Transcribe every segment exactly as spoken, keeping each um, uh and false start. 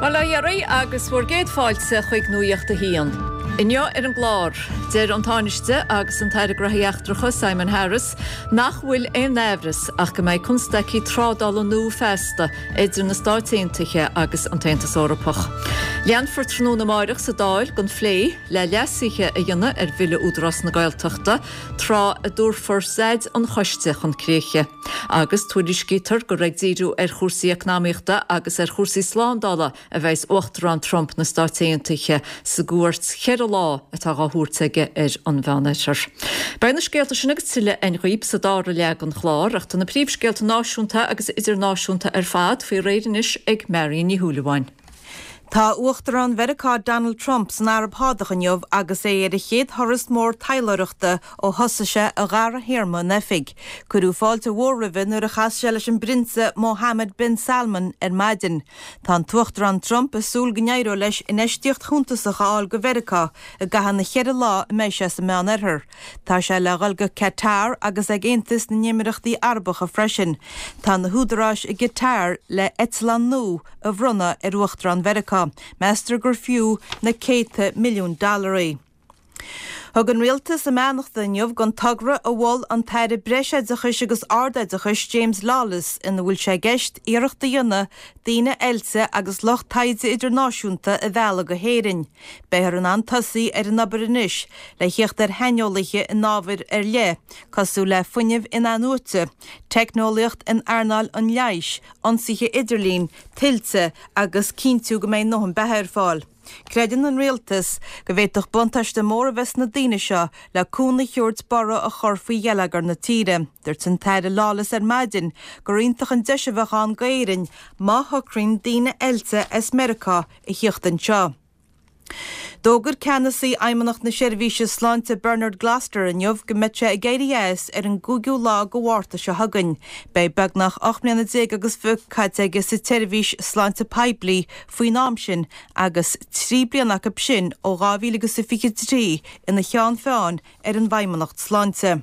Bhuel a dheiridh agus bhur gcéad fáilte chuig Nuacht a hAon. Inniu ar an gclár, deir an Tánaiste agus an tAire Gnóthaí Eachtracha Simon Harris nach bhfuil aon amhras ach go mbeidh constaicí trádála nua feasta idir na Stáit Aontaithe agus an tAontas Eorpach. Leanfar tráthnóna amárach sa Dáil den phlé le leasuithe a dhéanamh ar Bhille Údarás na Gaeltachta tráth a dtabharfar staid an choiste chun críche. Agus tuairiscítear gur ag díriú ar chúrsaí eacnamaíochta agus ar chúrsaí slándála a bheas Uachtarán Trump na Stáit Aontaithe sa gcuairt cheithre lá atá á thabhairt aige ar an Mheánoirthear. Beidh na scéalta sin agus tuilleadh againn dhaoibh sa dara leath den chlár ach tá na príomhscéalta náisiúnta agus idirnáisiúnta ar fad faoi réir anois ag Marion Ní Shúilleabháin. Tá Uachtarán Mheiriceá Donald Trump san Araib Shádach inniu agus é ar a chéad thuras mór taidhleoireachta ó thosaigh sé a dhara théarma in oifig. Cuireadh fáilte mhór roimhe nuair a chas sé leis an bPrionsa Mohammed bin Salman ar maidin. Tá an tUachtarán Trump ag súil go n-éireoidh leis infheistíocht shuntasach a fháil go Mheiriceá i gcaitheamh na cheithre lá a mbeidh sé sa Meánoirthear. Tá sé le dhul go Qatar agus ag Aontas na nÉimiríochtaí Arabacha freisin. Tá na húdaráis i gCatar le eitleán nua a bhronnadh ar Uachtarán Mheiriceá. Meastar gur fiú na céadta milliún dollaraí. Thug an rialtas a mbeannacht inniu don togra a mhol an tAire Breisoideachais agus Ardoideachais James Lawless ina bhfuil sé i gceist iarracht a dhéanamh daoine oilte agus lucht taighde idirnáisiúnta a mhealladh go hÉirinn. Beifear in ann tosaí ar an obair anois le theacht ar shaineolaithe in ábhair ar leith, cosúil le fuinneamh in-athnuaite, teicneolaíocht in earnáil an leighis, ionsaithe idirlín, tuilte agus cinntiú go mbeidh a ndóthain beatha ar fáil. Creideann an rialtas go bhféadfadh buntáiste mór a bheith sna daoine seo le cúnamh a thabhairt borradh a chur faoi gheilleagar na tíre. Dúirt an tAire Lawless ar maidin gur iontach an deis a bheadh ann d'Éirinn má shocraíonn daoine oilte as Meiriceá a theacht anseo. D'fhógair ceannasaí Fheidhmeannacht na Seirbhíse Sláinte Bernard Gloster inniu go mbeidh sé ag éirí as ar an gcúigiú lá de Mhárta seo chugainn. Beidh beagnach ocht mbliana déag agus fiche caite aige sa tseirbhís sláinte poiblí faoin am sin agus trí bliana acu sin ó dhá mhíle agus a fiche trí ina cheann feadhain ar an bhFeidhmeannacht Sláinte.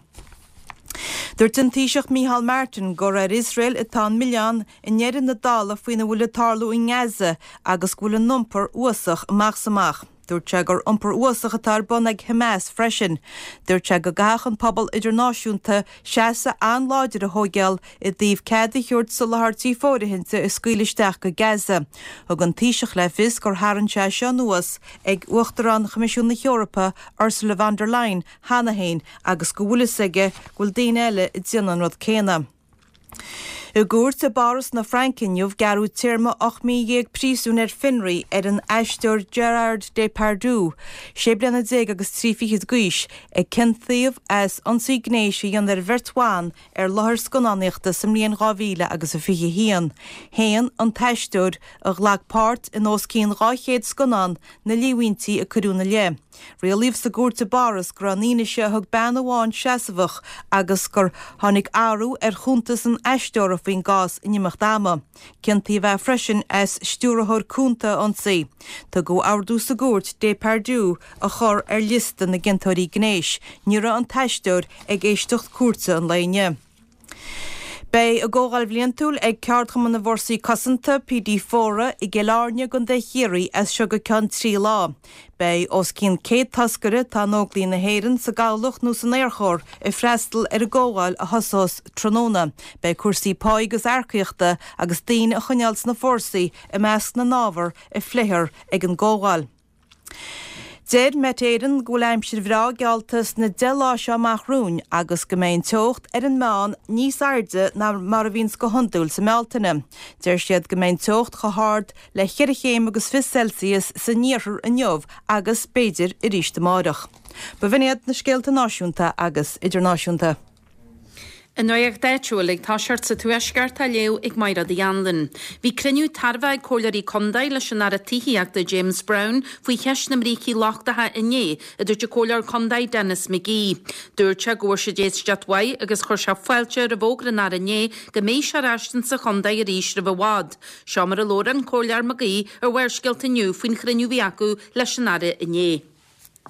Dúirt an Taoiseach Micheál Martin gur ar Iosrael atá an milleán i ndeireadh na dála faoina bhfuil ag tarlú i nGaza agus go bhfuil a n-iompar uafásach amach is amach. Dúirt sé gur iompar uafásach atá ar bun ag Hamas freisin. Dúirt sé go gcaithfeadh an pobal idirnáisiúnta seasamh an-láidir a thógáil i dtaobh cead a thabhairt soláthairtí fóirithinte a scaoileadh isteach go Gaza. Thug an Taoiseach le fios gur tharraing sé seo anuas ag Uachtarán Choimisiún na hEorpa Ursula von der Leyen cheana féin agus go bhfuil fhios aige go bhfuil daoine eile ag déanamh an rud céanna. I gcúirt i bPáras na Fraince inniu gearradh téarma ocht mí dhéag príosúin ar fionraí ar an aisteoir Gerard Depardieu, sé bliana déag agus trí fichid d'aois, a ciontaíodh as ionsaí gnéis a dhéanamh ar bheirt bhan ar láthair scannánaíochta sa mbliain dhá mhíle agus a fiche haon. Shéan an t-aisteoir a ghlac páirt in os cionn dhá chéad scannán na líomhaintí a cuireadh ina leith. Rialaíodh sa gcúirt i bPáras go raibh an fhianaise a thug bean amháin seasmhach agus gur tháinig athrú ar chuntas an aisteora faoin gcás in imeacht ama. Ciontaíodh é freisin as stiúrthóir cúnta a ionsaí. Tugadh ordú sa gcúirt Depardieu a chur ar liosta na gciontóirí gnéis. Ní raibh an t-aisteoir ag éisteacht cúirte an lae inniu. Beidh a gcomhdháil bhliantúil ag Ceardchumann na bhFórsaí Cosanta PD Fóra i gCill Airne i gContae Chiarraí as seo go ceann trí lá. Beidh os cionn céad toscaire atá in Óglaigh na hÉireann sa gCabhlach nó san Aerchór ag freastal ar an gcomhdháil a thosós tráthnóna. Beidh cúrsaí pá agus earcaíochta agus daoine a choinneáil sna fórsaí i measc na n-ábhar a phléifear ag an gcomhdháil. Deir Met Éireann go bhfuil aimsir bhreá geallta sna deich lá seo amach romhainn agus go mbeidh an teocht ar an meán níos airde ná mar a bhíonns go hiondúil sa mBealtaine. Deir siad go mbeidh an teocht chomh hard le ceithre chéim agus fiche Celsius san iarthar inniu agus b'fhéidir arís amárach. B'in iad na scéalta náisiúnta agus idirnáisiúnta. An nuacht áitiúil ag toiseacht sa Tuaisceart á léamh ag Máire Uí Anluain. Bhí cruinniú tairbhe ag comhairleoirí contae leis an Aire Tithíochta James Browne faoi cheist na mbrící lochtacha inné, a dúirt an comhairleoir contae Denis McGee. Dúirt sé go bhfuair siad éisteacht mhaith agus chuir sé fáilte roimh fhógra an Aire inné go mbeidh sé ar ais sa chontae arís roimh i bhfad. Seo mar a labhair an comhairleoir McGee ar Bharrscéalta inniu faoin chruinniú a bhí acu leis an Aire inné.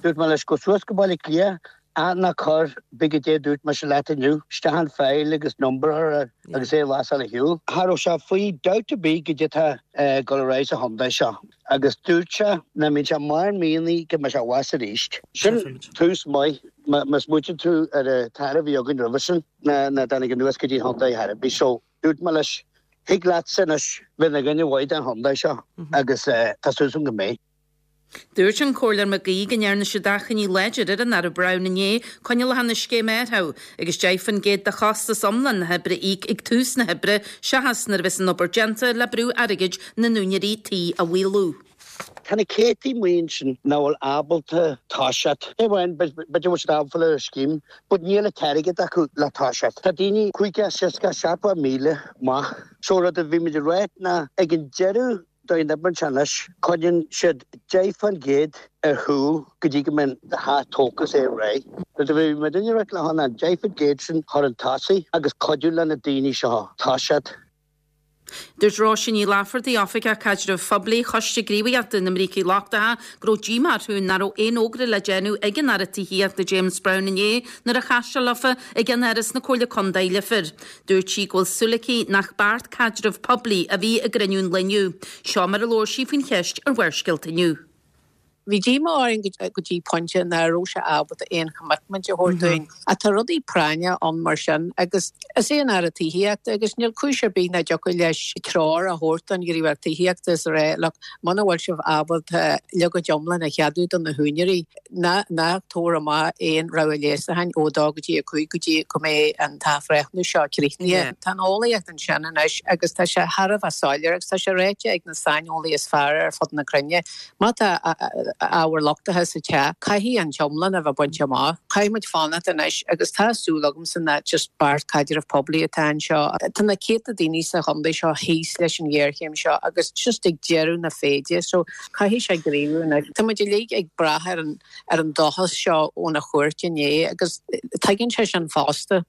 Dúirt mé leis gabh suas go Baile Átha Cliath Ná ná cuir big dé dúirt me se leat inniu, isteach an file agus number agus é las a hiú. Cha raibh sé faoi dabht ar bith goidé tá ag dul ar aghaidh sa chontae seo. Agus dúirt sé nach mbíonn sé mar mianaí go mbeidh sé abhus arís. Sin tús maith má smaoiníonn tú ar an t-aire a bhí againn roimhe sin na na dtáinig anuas go dtí chontae ar bith so dúirt mé leis thig leat anois bheith ina dhuine mhaith don chontae seo agus tá súil agam go mbeidh. Dúirt an Comhairleoir McGee go ndearna siad achainí láidir ar an Aire Browne inné coinneáil leis an scéim orthu agus deich faoin gcéad de chostas iomlán na hoibre a íoc ag tús na hoibre seachas nuair a bheas an obair déanta le brú airgid na n-úinéirí tí a mhaolú. Tá na céadtaí maoin sin nach bhfuil ábalta toiseacht. É bhain b'fhéidir siad ábalta ar scéim, but níl an t-airgead acu le toiseacht. Tá daoine cúig seasca seachtó míle maith. So rud a bhí muid ag rá ná ag an deireadh den obair anois coinníonn siad deich faoin gcéad ar chúl go dtí go mbíonn teach tógtha is é réidh. Rud a bhí muid ag rá le hana deich faoin gcéad sin chur chun tosaigh agus cuidiú le na daoine seo toiseacht. Dúirt Róisín Ní Laifeartaigh Oifigeach Caidrimh Phoiblí Choiste Gníomhaíochta na mBrící Lochtacha go raibh díomá orthu nach raibh aon fhógra le déanamh ag an Aire Tithíochta James Browne inné nuair a chas sé leofa i gceannáras na Comhairle Contae Leifear. Dúirt sí go bhfuil súil aici nach beart caidrimh poiblí a bhí i gcruinniú an lae inniu. Seo mar a labhair sí faoin cheist ar Bharrscéalta inniu. Bhí díomá orainn go dtí pointe nach raibh sé ábalta aon commitment a thabhairt dúinn. Tá rudaí práinne ann mar sin agus is é an Aire Tithíochta agus níl cúis ar bith nach dtiocfadh leis treoir a thabhairt don ghníomhaireacht tithíochta is rá le muna bhfuil sibh ábalta leagan iomlán a cheadú do na húinéirí ná ná tabhair amach aon rogha léasacháin ó dó go dtí a cúig go dtí go mbeidh an t-athbhreithniú seo críochnaithe. Tá an eolaíocht ansin anois agus tá sé thar a bheith soiléir agus tá sé ráite ag na saineolaithe is fearr ar fud na cruinne. Má tá ábhar lochtaithe sa teach, caithfidh an t-iomlán a bheith bainte amach. Caithfidh muid fanacht anois agus tá súil agam san nach just beart caidrimh poiblí atá anseo. Tá na céadta daoine sa chontae seo thíos leis an ghéarchéim seo agus just ag deireadh na féide, so caithfidh sé gníomhú anois. Tá muid uilig ag brath ar an ar an dóchas seo óna chuairt inné agus tuigeann sé sin fosta.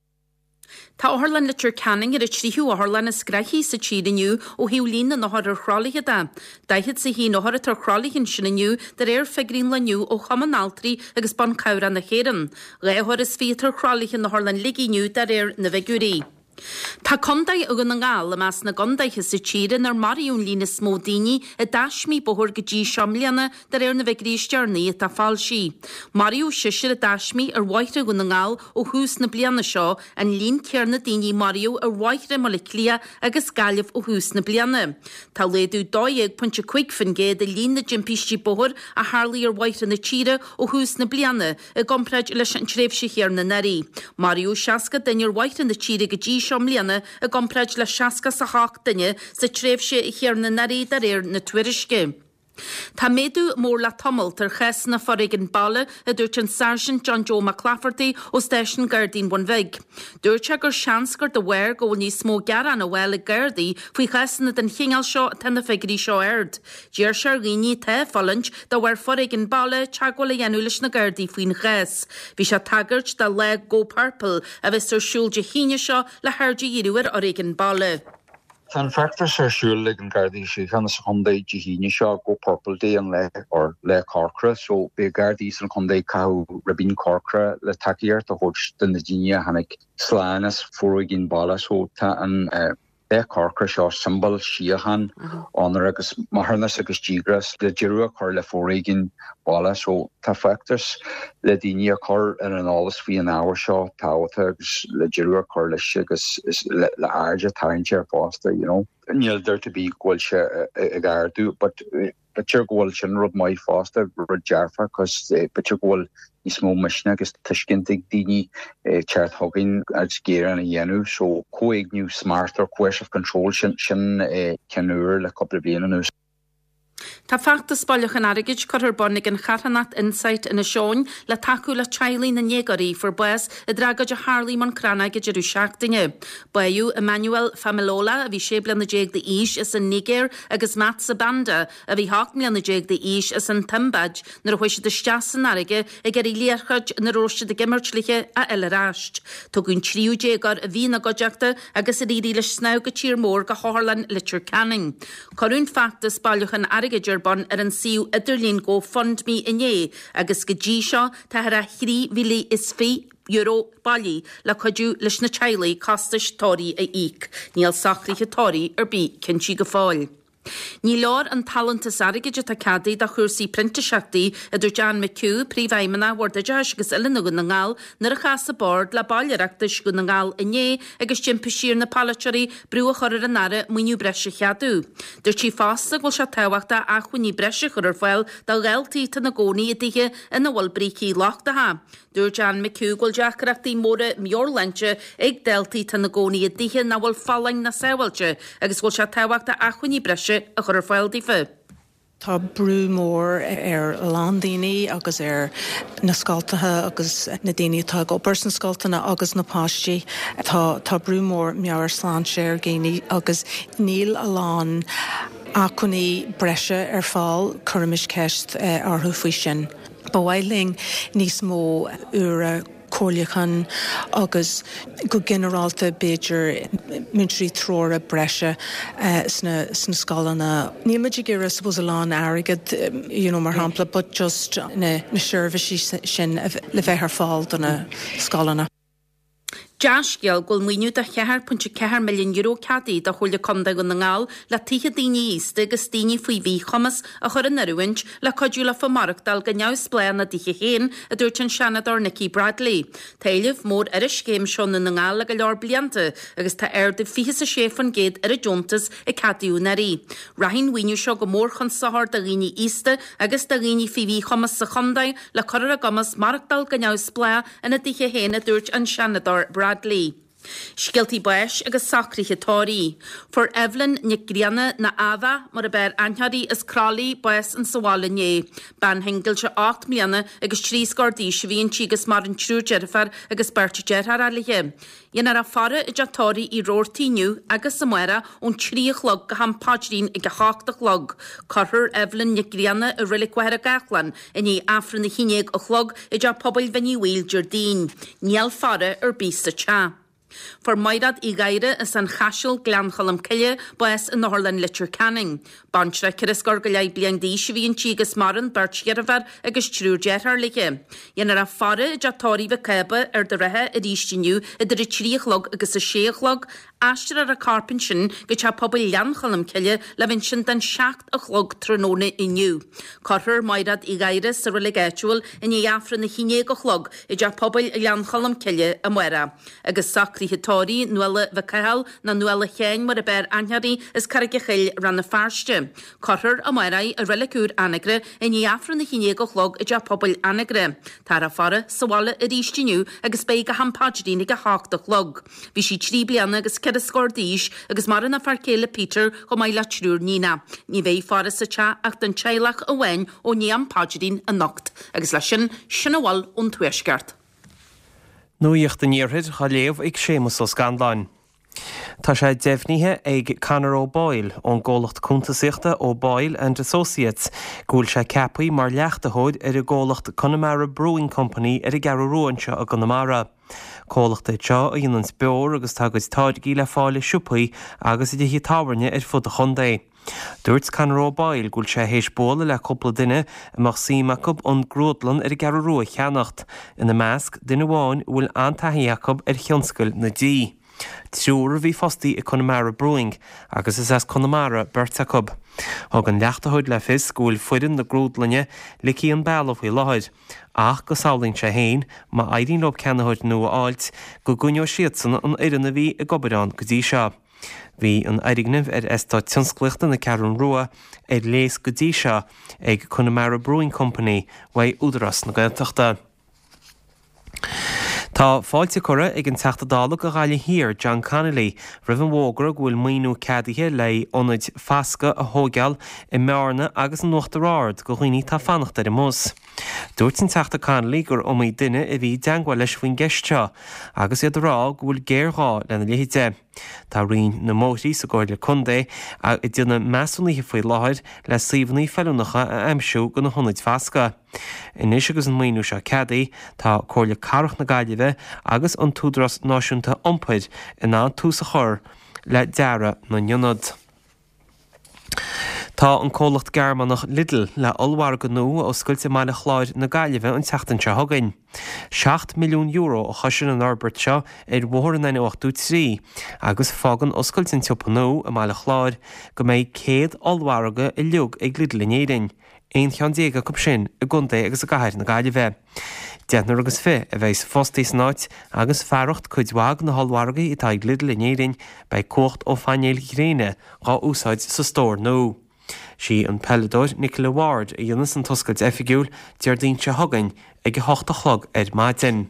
Tá Otharlann Leitir Ceanainn ar an tríú otharlann is gnoithí sa tír inniu ó thaobh líon na n-othar ar thralaithe de. Daichead is a haon othar atá ar thralaithe ansin inniu de réir figiúirí an lae inniu ó Chumann Altraí agus Ban Cabhrach na hÉireann. Dhá othar is fiche atá ar thralaithe in Otharlann Shligigh inniu de réir na bhfigiúirí. Tá Contae Dhún na nGall i measc na gcontaetha sa tír inar maraíodh an líon is mó daoine i dtaismí bóthair go dtí seo i mbliana de réir na bhfigiúirí is deireanaí atá foilsithe. Maraíodh seisear i dtaismí ar bhóithre Dhún na nGall ó thús na bliana seo, an líon céanna daoine maraíodh ar bhóithre Bhaile Átha Cliath agus Gaillimh ó thús na bliana. Tá laghdú dó dhéag pointe cúig faoin gcéad i líon na dtimpistí bóthair a tharlaigh ar bhóithre na tíre ó thús na bliana i gcomparáid leis an tréimhse chéanna anuraidh. Maraíodh seasca duine ar bhóithre na tíre go dtí seo i mbliana i gcomparáid le seasca a hocht duine sa tréimhse chéanna anuraidh de réir na tuairisce. Tá méadú mór le tamalt ar chásanna foréigin baile a dúirt an Sáirsint John Joe Mac Laifeartaigh ó Stáisiún Gardaí an Bhun Bhig. Dúirt sé gur seans gur de bharr go bhfuil níos mó gearán á bhfáil ag Gardaí faoi chásanna den chineál seo atá na figiúirí seo ard. D'iarr sé ar dhaoine atá ag fulaingt de bharr foréigin baile teagmháil a dhéanamh leis na Gardaí faoin chás. Bhí sé ag tagairt do lá Go Purple a bheas ar siúl Dé hAoine seo le haird a dhíriú ar fhoréigean baile. Tá an feachtas ar siúl ag an Gardaí Síochána sa chontae Dé hAoine seo Go Purple Day an lá or lá corcra, so beidh Gardaí san chontae ag caitheamh ribín corcra le tacaíocht a thabhairt do na daoine a tháinig slán as foréigean baile, so tá an uh, lá corcra seo siombail síocháin onóir agus maithiúnas agus díograis le deireadh a chur le foréigean baile, so tá feachtas le daoine a chur ar an eolas faoi an ábhar seo tábhachtach agus le deireadh a chur leis agus le le aird a tharraingt air fosta, you know. Níl dabht ar bith go bhfuil sé ag ardú, but b'fhéidir go bhfuil sin rud maith fosta rud dearfach cos b'fhéidir go bhfuil níos mó misnigh agus tuiscint ag daoine teacht chugainn agus gearán a dhéanamh, so comhéigniú smart or coercive control sin sin ceann úr le cúpla bliain anuas. Tá feachtas bailiúcháin airgid curtha ar bun ag an charthanacht Insight Inis Eoghain le tacú le teaghlaigh na ndéagóirí a fuair bás i dtragóid a tharla i mBun Cranncha ag deireadh seachtaine. Báthadh Emmanuel Familola a bhí sé bliana déag d'aois as an Nigéir agus Matt Sabanda a bhí ocht mbliana déag d'aois as an tSiombáib nuair a chuaigh siad isteach san fharraige ag iarraidh liathróid ina raibh siad ag imirt léi a fháil ar ais. Tugadh an tríú déagóir a bhí ina gcuideachta agus ar éirigh leis snámh go tír mór go hOtharlann Leitir Ceanainn. Cuireadh an feachtas bailiúcháin airgid ar bun ar an suíomh idirlín GoFundMe inné agus go dtí seo tá thar a thrí mhíle is fiche euro bailithe le cuidiú leis na teaghlaigh costais tórraimh a íoc. Níl socruithe tórraimh ar bith cinnte go fóill. Ní leor an t-allúntas airgid atá ceadaithe do chúrsaí printíseachtaí, a dúirt Anne McHugh, Príomhfheidhmeannach Bhord Oideachais agus Oiliúna Dhún na nGall, nuair a chas a bord le baill Oireachtais Dhún na nGall inné agus d'impigh sí ar na polaiteoirí brú a chur ar an Aire maoiniú breise a cheadú. Dúirt sí fosta go bhfuil sé tábhachtach acmhainní breise a chur ar fáil do dhaltaí atá ina gcónaí i dtithe ina bhfuil brící lochtacha. Dúirt Anne McHugh go bhfuil deacrachtaí móra meabhairshláinte ag daltaí atá ina gcónaí i dtithe nach bhfuil folláin ná sábháilte agus go bhfuil sé tábhachtach acmhainní breise a chur ar fáil daofa. Tá brú mór ar a lán daoine agus ar na scoltacha agus na daoine atá ag obair sna scoltanna agus na páistí. Tá tá brú mór meabhairshláinte ar dhaoine agus níl a lán acmhainní breise ar fáil, cuirimis ceist orthu faoi sin. Ba mhaith linn níos mó uaire comhairliúcháin agus go ginearálta b'fhéidir múinteoirí treorach breise sna sna scoileanna. Níl muid ag iarraidh suppose a lán airgead you know, mar shampla, but just na, na seirbhísí sin le bheith ar fáil do na scoileanna. Dea-scéal go bhfuil maoiniú de cheathair pointe ceathair milliún euro ceadaithe do Chomhairle Contae Dhún na nGall le tithe daoine aosta agus daoine faoi mhíchumas a chur in oiriúint le cuidiú leofa maireachtáil go neamhspleách ina dtithe féin, a dúirt an Seanadóir Nikki Bradley. Tá éileamh mór ar an scéim seo i nDún na nGall le go leor blianta agus tá ardú fiche is a sé faoin gcéad ar an deontas a ceadaíodh anuraidh. Rachaidh an mhaoiniú seo go mór chun sochair do dhaoine aosta agus do dhaoine faoi mhíchumas sa chontae le cur ar a gcumas maireachtáil go neamhspleách ina dtithe féin, a dúirt an Seanadóir Bradley. Scéaltaí báis agus socruithe tórraimh. Fuair Evelyn Nic Grianna nó Ava mar ab fhearr aithne uirthi as Croithlí bás insa bhaile inné. Bean shingilte ocht mbliana agus trí scór d'aois a bhí inti agus maireann triúr deirfiúr agus beirt deartháir léi. Dhéanfar a faire i dteach tórraimh Uí Robhartaigh inniu agus amárach ón trí a chlog go ham paidrín ag a hocht a chlog. Cuirfear Evelyn Nic Grianna i Reilig Mhachaire Gathlán i ndiaidh Aifreann a haon déag a chlog i dteach pobail Bhinn Uí Bhaoill Déardaoin. Níl faire ar bith sa teach. Fuair Maighread Uí Ghadhra as an Chaiseal, Gleann Cholm Cille, bás in Otharlann Leitir Ceanainn. Baintreach ceithre scór go leith bliain d'aois a bhí inti agus maireann beirt dheirfiúr agus triúr deartháir léi. Dhéanfar a faire i dteach tórraimh Mhic Cába, Ard an Rátha arís inniu idir a trí a chlog agus a sé a chlog. Aistreofar a corp ansin go teach pobail Ghleann Cholm Cille le bheith ansin don seacht a chlog tráthnóna inniu. Cuirfear Maighread Uí Ghadhra sa reilig áitiúil i ndiaidh Aifreann a haon déag a chlog i dteach pobail Ghleann Cholm Cille amárach. Agus socruithe tórraimh Nuala Mhic Cathal nó Nuala Sheáin mar ab fhearr aithne uirthi as Carraig a' Chill, Rann na Feirste. Cuirfear amárach í i reilig úr Anagaire i ndiaidh Aifreann a haon déag a chlog i dteach pobail Anagaire. Táthar á faire sa bhaile arís inniu agus beidh go ham paidrín ag a hocht a chlog. Bhí sí trí bliana agus ceithre scór d'aois agus maireann a fear céile Peter chomh maith le triúr níonach. Ní bheidh faire sa teach ach don teaghlach amháin ó ndiaidh am paidrín anocht. Agus leis sin, sin a bhfuil ón Tuaisceart. Nuacht an Iarthair á léamh ag Séamus Ó Scanláin. Tá sé deimhnithe ag Conor O'Boyle ón gcomhlacht cuntasaíochta O'Boyle and Associates go bhfuil sé ceaptha mar leachtaitheoir ar an gcomhlacht Connemara Brewing Company ar an gCeathrú Rua anseo i gConamara. Comhlacht é seo a dhéanann beoir agus tá a gcuid táirgí le fáil i siopaí agus i dtithe tábhairne ar fud an chontae. Dúirt Conor O'Boyle go bhfuil sé théis bualadh le cúpla duine a mbeadh suim acu an grúdlann ar an gCeathrú Rua a cheannacht, ina measc duine amháin a bhfuil an-taithí acu ar thionscal na dí. Triúr a bhí fostaí i Connemara Brewing agus is as Conamara beirt acu. Thug an leachtaitheoir le fios go bhfuil foireann na grúdlainne ligthe an bealach faoi láthair, ach go samhlaíonn sé féin má éiríonn leo ceannaitheoir nua a fháilt go gcoinneoidh siadsan an fhoireann a bhí ag obair ann go dtí seo. Bhí an fhoirgneamh ar eastát tionsclaíochta na Ceathrún Rua ar léas go dtí seo ag Connemara Brewing Company uaidh Údarás na Gaeltachta. Tá fáilte curtha ag an Teachta Dála do Ghaillimh Thiar, John Connolly, roimh an bhfógra go bhfuil maoiniú ceadaithe le ionaid fasctha a thógáil i mBearna agus in Uachtar Ard do dhaoine atá ag fanacht ar an mbus. Dúirt an Teachta Connolly gur iomaí duine a bhí i dteagmháil leis faoin gceist seo agus iad ag rá go bhfuil géarghá lena leithéid. Tá Roinn na mBóithrí sa gComhairle Contae ag déanamh measúnaithe faoi láthair le suíomhanna feiliúnacha a aimsiú do na hionaid fasctha. Anois agus an maoiniú seo ceadaithe, tá Comhairle Cathrach na Gaillimhe agus an tÚdarás Náisiúnta Iompair in ann tús a chur le dearadh na n-ionad. Tá an comhlacht Gearmánach Lidl le ollmhargadh nua a oscailt i mBaile Chláir na Gaillimhe an tseachtain seo chugainn. Seacht milliún euro a chosain an fhorbairt seo ar bhóthar an N ochtó trí agus fágann oscailt an tsiopa nua i mBaile Chláir go mbeidh céad ollmhargadh uilig ag Lidl in Éirinn, aon cheann déag acu sin i gcontae agus i gcathair na Gaillimhe. Deichniúr agus fiche a bheidh fostaí san áit agus fearacht cuid mhaith de na hollmhargaí atá ag Lidl in Éirinn beidh cumhacht ó phainéil ghréine dhá úsáid sa stór nua. Sí an peileadóir Nicola Ward a dhéanfas an t-oscailt oifigiúil Déardaoin seo chugainn ag a hocht a chlog ar maidin.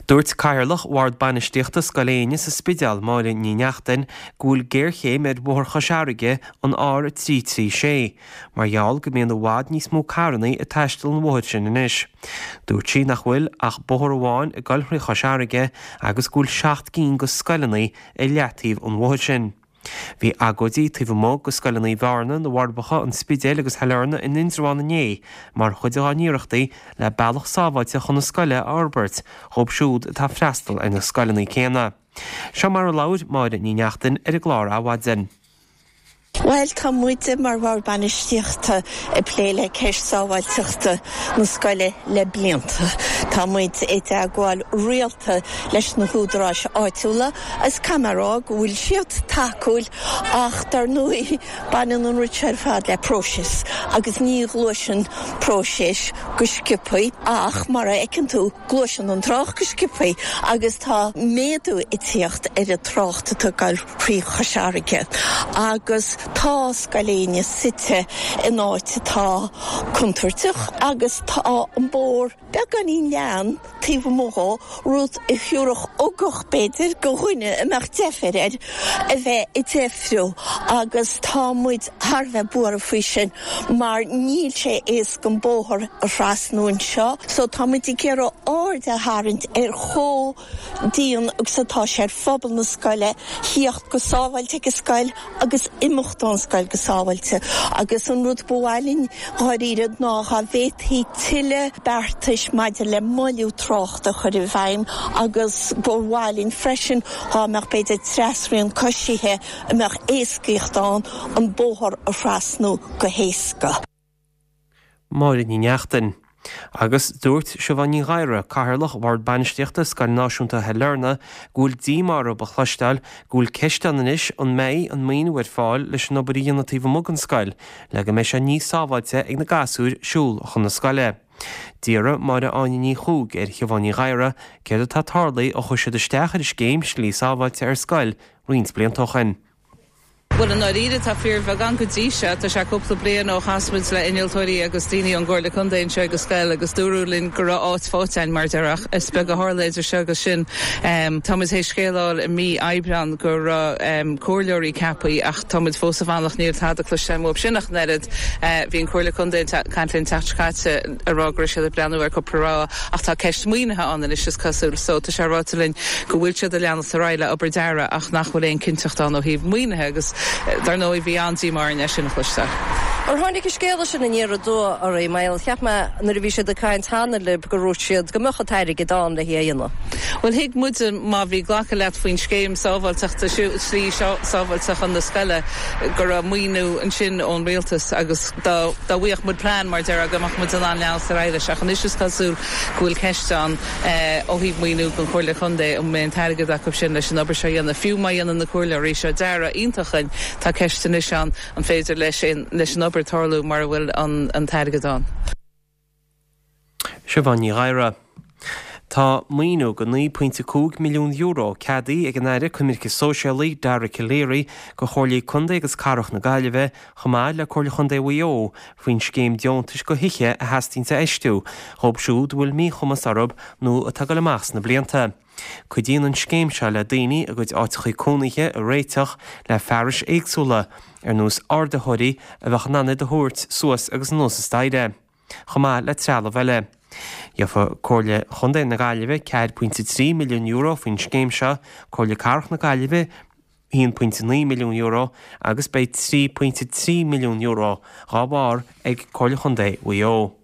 Dúirt Cathaoirleach Bhord Bainistíochta Scoil Éinne sa Spidéal, Máire Ní Neachtain, go bhfuil géarchéim ar Bhóthar Chois Fharraige, an R a trí trí sé, mar gheall go mbíonn i bhfad níos mó carrannaí ag taisteal an bhóthair sin anois. Dúirt sí nach bhfuil ach bóthar amháin ag dul thrí Chois Fharraige agus go bhfuil seacht gcinn de scoileanna ar leataobh an bhóthair sin. Bhí agóidí taobh amuigh de scoileanna Bhearna, na bhForbacha, an Spidéil agus Shailearna in Indreabhán inné mar chuid dá n-iarrachtaí le bealach sábháilte chun na scoile a fhorbairt dhóibh siúd atá ag freastal ar na scoileanna céanna. Seo mar a labhair Máire Ní Neachtain ar an gclár Adhmhaidin. Bhuel, tá muide mar bhord bainistíochta ag plé le ceist sábháilteachta na scoile le blianta. Tá muid i dteagmháil rialta leis na húdaráis áitiúla agus caithfidh mé a rá go bhfuil siad tacúil ach dar ndóigh baineann an rud seo ar fad le próiseas agus ní ghluaiseann próiseas go sciobtha ach mar a fheiceann tú gluaiseann an trácht go sciobtha agus tá méadú ag tíocht ar an trácht atá ag dul thrí Chois Fharraige agus tá Scoil Éinne suite in áit atá contúirteach agus tá an bóthar beagáinín leathan taobh amuigh dhó, rud a thiúrfadh ugach b'fhéidir go dhuine a mbeadh deifir air a bheith ag deifriú agus tá muid thar a bheith buartha faoi sin mar níl sé éasca an bóthar a thrasnú anseo so tá muid ag iarraidh aird a tharraingt ar chomh dian agus atá sé ar phobal na scoile thíocht go sábháilte ag an scoil agus imeacht ón scoil go sábháilte agus an rud ba mhaith linn dháiríre ná dá bhféadfaí tuilleadh beartais maidir le moilliú tráchta a chur i bhfeidhm agus ba mhaith linn freisin dá mbeadh b'fhéidir trasrian coisithe a mbeadh éascaíocht ann an bóthar a thrasnú go héasca. Máire Ní Neachtain. Agus dúirt Siobhán Ní Ghadhra, Cathaoirleach Bhord Bainistíochta Scoil Náisiúnta Shailearna, go bhfuil díomá orthu a chloisteáil go bhfuil ceist ann anois an mbeidh an maoiniú ar fáil leis an obair a dhéanamh taobh amuigh den scoil le go mbeidh sé níos sábháilte ag na gasúir siúl chun na scoile. D'iarr Máire Áine Ní Chuaig ar Shiobhán Ní Ghadhra céard atá tarlaithe ó chuir siad isteach ar an scéim Slí Sábháilte ar Scoil roinnt blianta ó shin. Bhuel, i ndáiríre, tá fíorbheagán go dtí seo. Tá sé cúpla bliain ó chas muid le innealtóirí agus daoine ón gComhairle Contae anseo ag an scoil agus dúradh linn go raibh áit faighte againn mar a déarfá ach is beag a tharla idir seo agus sin. Tá muid théis scéal a fháil i mí Aibreán go raibh comhairleoirí ceaptha ach tá muid fós ag fanacht, níl tada cloiste uathub sin ach an oiread. Bhí an Comhairle Contae ag caint linn an tseachtain seo caite ag rá go raibh siad ag breathnú ar cúpla rogha ach tá ceist maoinithe ann anois is cosúil so tá sé ráite linn go bhfuil siad ag leanacht ar aghaidh le obair dearaidh ach nach bhfuil aon cinnteacht ann ó thaobh maoinithe agus Dar ndóigh, bhí an-díomá orainn é sin a chloisteáil. Ar tháinig an scéala sin aniar aduaidh oraibh? Mar cheap mé nuair a bhí siad ag caint cheana libh go ndúirt siad go mbeadh an t-airgead ann le hí a dhéanamh. Bhuel, thuig muide má bhí glactha leat faoin scéim sábháilteachta, slí sábháilte chun na scoile, go raibh maoiniú ansin ón rialtas agus dá bhfaigheadh muid plean, mar a déarfá, go mbeadh muid in ann leanacht ar aghaidh leis. Ach anois is cosúil go bhfuil ceist ann ó thaobh maoiniú don Chomhairle Contae, an mbeidh an t-airgead acu sin leis an obair seo a dhéanamh, fiú má dhéanann na comhairleoirí seo dearadh iontach againn, tá ceist anois ann an féidir leis leis an obair tarlú mura bhfuil an t-airgead ann. Siobhán Ní Ghadhra. Tá maoiniú de naoi pointe cúig milliún euro ceadaithe ag an Aire Coimirce Sóisialaí, Dara Calleary, do Chomhairlí Contae agus Cathrach na Gaillimhe, chomh maith le Comhairle Chontae Mhaigh Eo, faoin scéim deontais do thithe a theastaíonns a fheistiú dhóibh siúd a bhfuil míchumas orthu nó atá ag dul amach sna blianta. Cuidíonn an scéim seo le daoine a gcuid áiteachaí cónaithe a réiteach le fearais éagsúla, ar nós ardaitheoirí a bheadh in ann iad a thabhairt suas agus anuas an staighre, chomh maith le trealamh eile. Gheofa Comhairle Chontae na Gaillimhe ceathair pointe trí milliún euro faoin scéim seo, Comhairle Cathrach na Gaillimhe haon pointe naoi milliún euro agus beidh trí pointe trí milliún euro dhá bharr ag Comhairle Chontae Mhaigh Eo.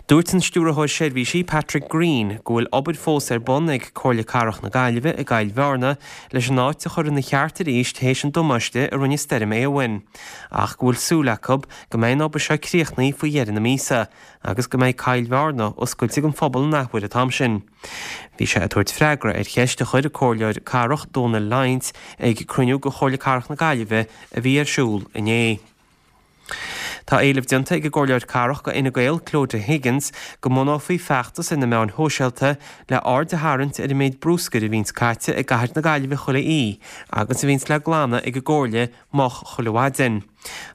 Dúirt an Stiúrthóir Seirbhísí Patrick Greene go bhfuil obair fós ar bun ag Comhairle Cathrach na Gaillimhe i gCill Bhearna leis an áit a chur ina cheart arís théis an damáiste a rinne Stoirm Éowyn, ach go bhfuil súil acu go mbeidh an obair seo críochnaithe faoi dheireadh na míosa agus go mbeidh Cill Bhearna oscailte don phobal an athuair an t-am sin. Bhí sé ag tabhairt freagra ar cheist a chuir an Comhairleoir Cathrach Dónal Lyons ag cruinniú de Chomhairle Cathrach na Gaillimhe a bhí ar siúl inné. Tá éileamh déanta ag an gComhairleoir Cathrach do Fhine Gael, Clodagh Higgins, go mbunófaí feachtas ar na meáin shóisialta le aird a tharraingt ar an méid bruscair a bhíonns caite i gcathair na Gaillimhe chuile oíche agus a bhíonns le glanadh ag an gComhairle moch chuile mhaidin.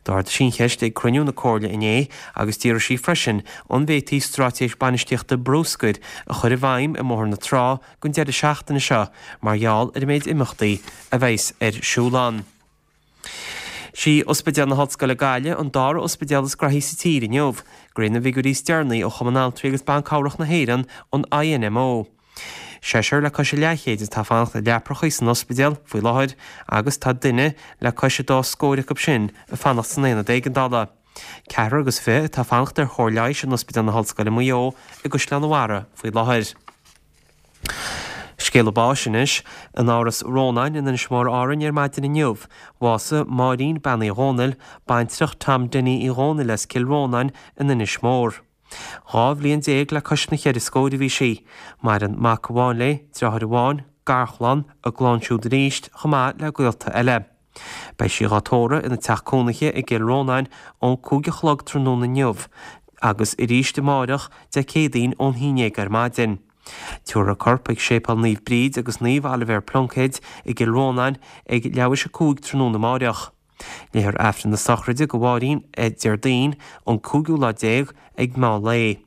D'ardaigh sí an cheist ag cruinniú na Comhairle inné agus d'iarr sí freisin an bhféadfaí straitéis bainistíochta bruscair a chur i bhfeidhm i mBóthar na Trá don deireadh seachtaine seo mar gheall ar an méid imeachtaí a bheas ar siúl ann. Sí Ospidéal na hOllscoile Gaillimh an dara ospidéal is graithí sa tír inniu, de réir na bhfigiúirí is deireanaí ó Chumann Altraí agus Ban Cabhrach na hÉireann, an INMO. Seisear le cois a leathchéid atá ag fanacht i leaprachaí san ospidéal faoi láthair agus tá duine le cois a dá scór acu sin ag fanacht san aonad éigeandála. Ceathrar agus fiche atá ag fanacht ar chóir leighis in Ospidéal na hOllscoile Maigh Eo i gCaisleán an Bharraigh faoi láthair. Scéala báis anois. In Áras Rónáin in Inis Mór Árainn ar maidin inniu, bhásaigh Máirín Bean Uí Dhónaill, baintreach Tom Dinny Uí Dhónaill as Cill Rónáin in Inis Mór. Dhá bhliain déag le cois na cheithre scóir a bhí sí. Maireann mac amháin léi, deartháir amháin, garchlann, a gclann siúd arís, chomh maith le gaolta eile. Beidh sí dhá tórramh ina teach cónaithe i gCill Rónáin ón cúig a chlog tráthnóna inniu agus arís amáireach, Dé Céadaoin, ón haon déag ar maidin. Tabharfar a corp chuig Séipéal Naomh Bríd agus Naomh Oilibhéar Pluincéid i gCill Rónáin ag leathuair théis a cúig tráthnóna amáireach. Léifear Aifreann na sochraide do Mháirín Déardaoin an cúigiú lá déag ag meán lae.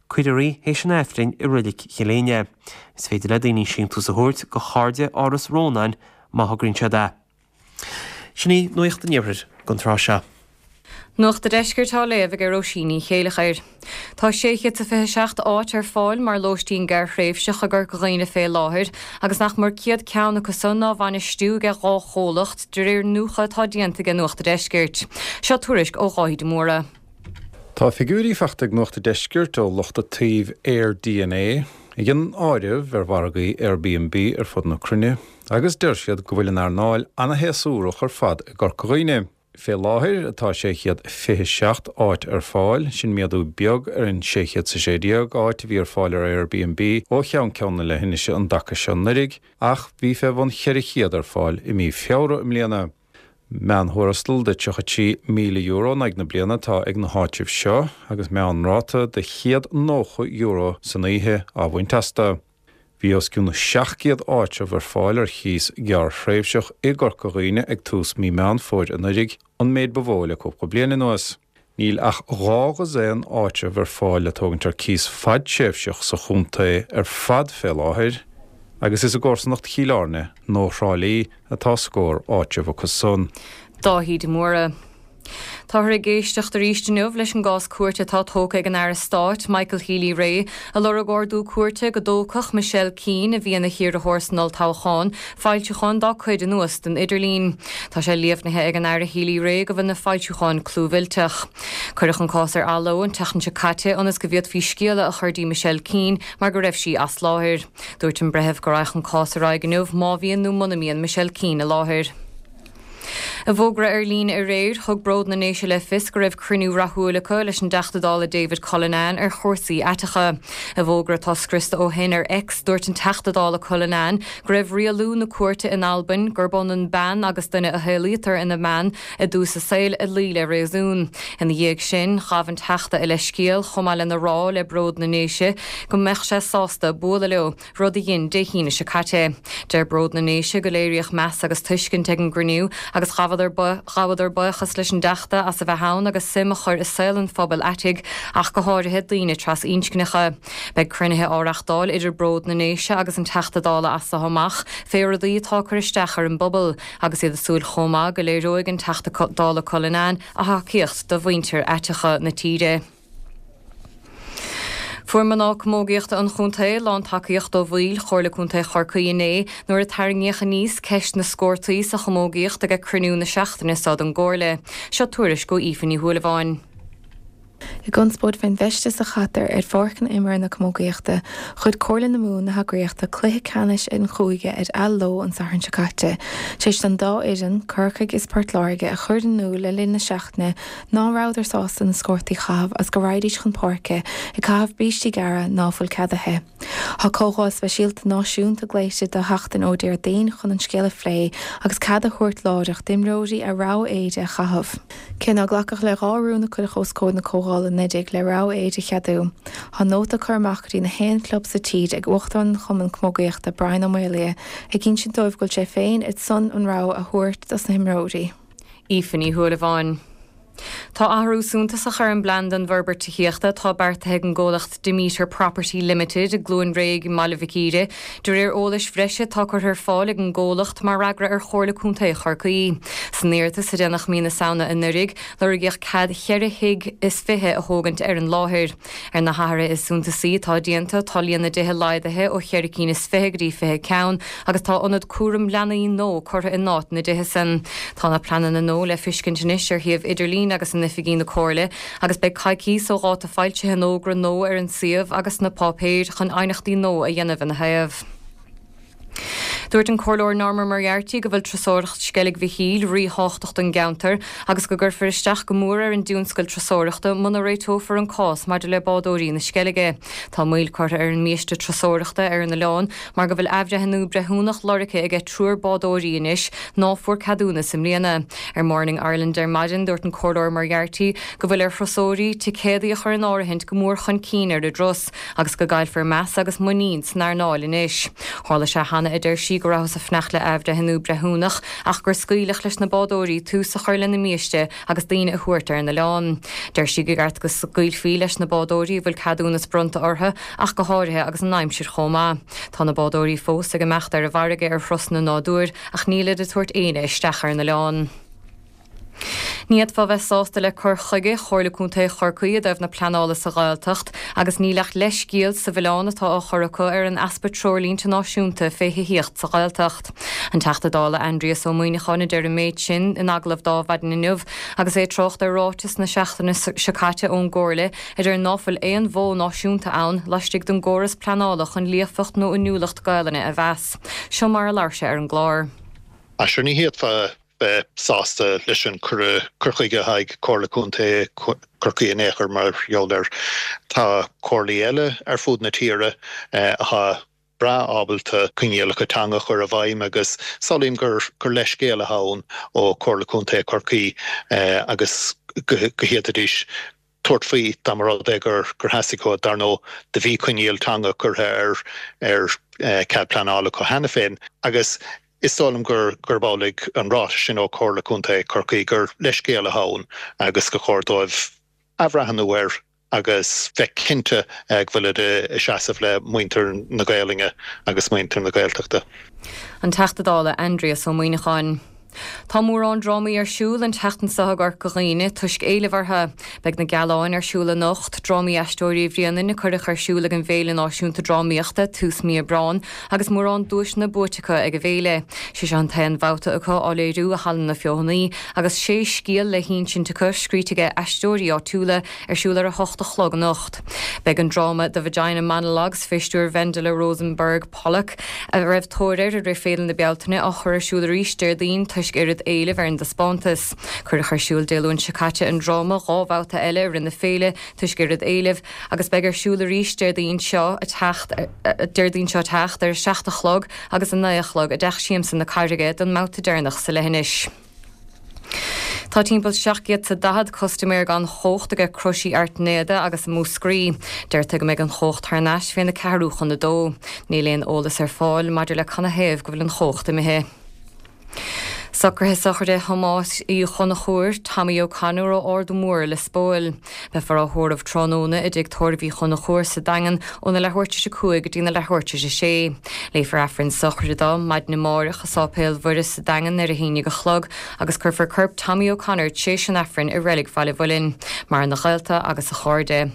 Cuirfear í théis an Aifrinn i Reilig Chill Éinne. Is féidir le daoine síntiús a thabhairt do Chairde Áras Rónáin má thograíonn siad é. Sin í Nuacht an Iarthair don tráth seo. Nuacht a' Deiscirt á léamh ag Róisín Ní Chéilleachair. Tá sé chéad is a fiche seacht áit ar fáil mar lóistín gearrthréimhseach i gCorca Dhuibhne fé láthair agus nach mór céad ceann acu san á bhainistiú ag dhá chomhlacht de réir iniúchadh atá déanta ag Nuacht a' Deiscirt. Seo tuairisc ó Dháithí de Mórdha. Tá figiúirí faighte ag Nuacht a' Deiscirt ó lucht iontaoibh AirDNA, a dhéanann áireamh ar mhargaí Airbnb ar fud na cruinne agus deir siad go bhfuil an earnáil ana-shéasúrach ar fad i gCorca Dhuibhne. Fé láthair tá sé chéad fiche seacht áit ar fáil, sin méadú beag ar an sé chéad is a sé déag áit a bhí ar fáil ar Airbnb ó cheann ceann na leithinise an dtaca seo anuraidh, ach bhí fé bhun cheithre chéad ar fáil i mí Feabhra i mbliana. Meánthuarastal de tríocha trí míle euro in aghaidh na bliana atá ag na háitribh seo agus meánráta de chéad nócha euro san oíche á bhaint astu. Bhí os cionn seacht gcéad áitreabh ar fáil ar chíos gearrthréimhseach i gCorca Dhuibhne ag tús mí Meán Fómhair anuraidh, an méid ba mhó le cúpla bliain anuas. Níl ach dhá dhosaen áitreabh ar fáil le tógaint ar cíos fadtréimhseach sa chontae ar fad fé láthair, agus is i gcomharsanacht Chill Airne nó Thrá Lí atá scór áitreabh acu san. Dáithí de Mórdha. Táthar ag éisteacht arís inniu leis an gcás cúirte atá tógtha ag an Aire Stáit, Michael Healy-Rae, a lorg ordú cúirte go dtógfadh Michelle Keane, a bhí ina hiarrthóir san olltoghchán, foilseacháin dá cuid anuas den idirlíon. Tá sé líomhnaithe ag an Aire Healy-Rae go bhfuil na foilseacháin clúmhillteach. Cuireadh an cás ar athló an tseachtain seo caite ionas go bhféadfaí scéala a chur dtí Michelle Keane mar go raibh sí as láthair. Dúirt an breitheamh go raghadh an cás ar aghaidh inniu má bhíonn nó muna mbíonn Michelle Keane i láthair. I bhfógra ar líne aréir, thug Bród na nDéise le fios go raibh cruinniú rathúil acu leis an dTeachta Dála David Cullinane ar chúrsaí aiteacha. I bhfógra atá scriosta ó shin ar X, dúirt an Teachta Dála Cullinane go raibh rialú na cúirte in Albain gurb ionann bean agus duine a shaolaítear ina mbean i dtús a saoil ag luí le réasún. Ina dhiaidh sin, ghabh an Teachta a leithscéal chomh maith lena rá le Bród na nDéise go mbeadh sé sásta bualadh leo. rud a dhein Dé hAoine seo caite. Deir Bród na nDéise go léiríodh meas agus tuiscint ag an gcruinniú agus ghabhadar ghabhadar buíochas leis an dTeachta as a bheith ann agus suim a chur i saol an phobail aitigh, ach go háirithe daoine trasinscneacha. Beidh cruinnithe á reachtáil idir Bród na nDéise agus an Teachta Dála as seo amach fé rudaí atá ag cur isteach ar an bpobal, agus iad ag súil chomh maith go léireoidh an Teachta Dála Cullinane a thacaíocht do mhuintir aiteacha na tíre. Fuair mná camógaíochta an chontae lántacaíocht ó bhaill Chomhairle Contae Chorcaí inné nuair a tarraingíodh aníos ceist na scórtaí sa chamógaíocht ag cruinniú na seachtaine seo den gComhairle. Seo tuairisc ó Aoife Ní Shúilleabháin. I gconspóid fén bhfeisteas a chaitear ar pháirceanna imeartha na camógaíochta, ghoid Comhairle na Mumhan na heagraíochta cluiche ceannais an chúige ar Aill Leo an Satharn seo caite, tar éis don dá fhoireann, Corcaigh is Port Láirge, a chur in iúl le linn na seachtaine ná rabhadar sásta na scórtaí a chaitheamh agus go raghaidís chun páirce ag caitheamh brístí gearra ná fuil ceadaithe. Tá comhdháil speisialta náisiúnta glaoite do sheachtain ó Déardaoin chun an scéal a phlé agus cead a thabhairt láithreach d'imreoirí a rogha éide a chaitheamh. Cé nár glacadh le dhá rún a cuireadh os comhair na comhdhála anuraidh le rogha éide a cheadú, tá nóta curtha amach go dtí na haon chlub sa tír ag Uachtarán an Chumainn Camógaíochta Brian Ó Maolaodha ag insint dóibh go bhfuil sé féin ar son an rogha a thabhairt dos na himreoirí. Aoife Ní Shúilleabháin. Tá athrú suntasach ar an bplean don bhforbairt tithíochta atá beartaithe ag an gcomhlacht Demeter Property Limited i gCluain Réidh i mBaile Mhic Íre, de réir eolais bhreise atá curtha ar fáil ag an gcomhlacht mar fhreagra ar Chomhairle Contae Chorcaí. San iarratas a déanadh mí na Samhna anuraidh, lorgaíodh cead cheithre thigh is fiche a thógaint ar an láthair. Ar na hathruithe is suntasaí atá déanta tá líon na dtithe laghdaithe ó cheithre cinn is fiche go dtí fiche ceann agus tá ionad cúram leanaí nua curtha in áit na dtithe san. Tá na pleananna nua le feiscint anois ar shuíomh idirlín agus in oifigí na Comhairle agus beidh coicís ó dháta foilsithe an fhógra nua ar an suíomh agus sna páipéir chun aighneachtaí nua a dhéanamh ina thaobh. Dúirt an Comhairleoir Norma Moriarty go bhfuil turasóireacht Sceilg Mhichíl ríthábhachtach don gceantar agus go gcuirfear isteach go mór ar an dtionscal turasóireachta muna réiteofar an cás maidir le bádóirí na Sceilge. Tá moill curtha ar an mbiaiste turasóireachta ar an oileán mar go bhfuil athbhreithniú breithiúnach lorgtha aige triúr bádóirí anois ná fuair ceadúnas i mbliana. Ar Morning Ireland ar maidin dúirt an Comhairleoir Moriarty go bhfuil ar thurasóirí ticéadaí a chur in áirithint go mór chun cinn ar a dturas agus go gcaillfear meas agus muinín san earnáil anois. Tharla sé cheana a deir sí go rabhthas ag fanacht le athbhreithniú breithiúnach ach gur scaoileadh leis na bádóirí tús a chur lena mbiaiste agus daoine a thabhairt ar an oileán. Deir sí gur cheart go scaoilfí leis na bádóirí a bhfuil ceadúnas bronnta orthu ach go háirithe agus an aimsir chomh maith. Tá na bádóirí fós ag imeacht ar an bhfarraige ar thurasanna nádúir ach nílid ag tabhairt éinne isteach ar an oileán. Ní fhéadfá bheith sásta le cur chuige Chomhairle Contae Chorcaí i dtaobh na pleanála sa Ghaeltacht agus níl ach leithscéal sa mhilleán atá á chur acu ar an easpa treoirlínte náisiúnta fé thithíocht sa Ghaeltacht. An Teachta Dála Aindrias Ó Muimhneacháin a deir an méid sin in agallamh d'Adhmhaidin inniu agus é ag trácht ar ráiteas na seachtaine seo caite ón gComhairle a deir ná fuil aon mhodh náisiúnta ann laistigh den gcóras pleanála chun líofacht nó inniúlacht Gaelainne a mheas. Seo mar a labhair sé ar an gclár. Sure ní fhéadfá bheith sásta leis an cur chuige atá ag Comhairle Contae Chorcaí in aon chor mar gheall air. Tá comhairlí eile ar fud na tíre atá breá ábalta coinníollacha teanga a chur i bhfeidhm agus samhlaím gur gur leithscéal atá ann ó Chomhairle Contae Chorcaí agus go bhféadfaidís tabhairt faoi dá mba rud é gur gur theastaigh uathu. Dar ndóigh do bhí coinníoll teanga curtha ar ar cead pleanála acu cheana féin agus is dóigh liom gur gurb amhlaidh an ráiteas sin ó Chomhairle Contae Chorcaí gur leithscéal atá ann agus gur chóir dóibh athbhreathnú air agus bheith cinnte go bhfuilid ag seasamh le muintir na Gaelainne agus muintir na Gaeltachta. An Teachta Dála Aindrias Ó Muimhneacháin. Tá mórán drámaí ar siúl an tseachtain seo i gCorca Dhuibhne toisc éileamh orthu. Beidh Na Gealáin ar siúl anocht, drámaí Aisteoirí Bhréanainn a cuireadh ar siúl ag an bhFéile Náisiúnta Drámaíochta tús mí Aibreáin agus mórán duaiseanna buaite acu ag an bhféile. Sé seo an t-aon bhabhta acu á léiriú i Halla na Feothanaí agus sé scéal le hinsint acu scríte ag aisteoirí áitiúla ar siúl ar a hocht a chlog anocht. Beidh an dráma The Vagina Monologues fé stiúir Wendela Rosenberg Pollock a raibh tóir air i rith Féile na Bealtaine á chur ar siúl arís Déardaoin toisc oiread éilimh ar an dtaispeántas. Cuireadh ar siúl Dé Luain seo caite an dráma dhá bhabhta eile i rith na féile toisc oiread éilimh agus beidh ar siúl arís Déardaoin seo ag teacht Déardaoin seo ag teacht ar a seacht a chlog agus a naoi a chlog i dTeach Siamsa na Carraige don mbabhta deireanach sa leithinis. Tá timpeall seacht gcéad 's a daichead custaiméir gan chumhacht aige Croisí Airtnéada agus i Múscraí. Deirtear go mbeidh an chumhacht thar n-ais féna ceathrú chun a dó. Níl aon eolas ar fáil maidir le canathaobh go bhfuil an chumhacht imithe. Socruithe sochraide Thomáis Uí Chonchúir, Tommy O'Connor ó Ard Mór, Lios Póil. Beifear á thórramh tráthnóna i dTigh Tórraimh Uí Chonchúir sa Daingean óna leathuair tar éis a cúig go dtína leathuair tar éis a sé. Léifear Aifreann sochraide dó maidin amárach i Sáipéal Mhuire sa Daingean ar a haon déag a chlog agus cuirfear corp Tommy O'Connor tar éis an Aifrinn i Reilig Bhaile Mhuilinn. Maireann a ghaolta agus a chairde.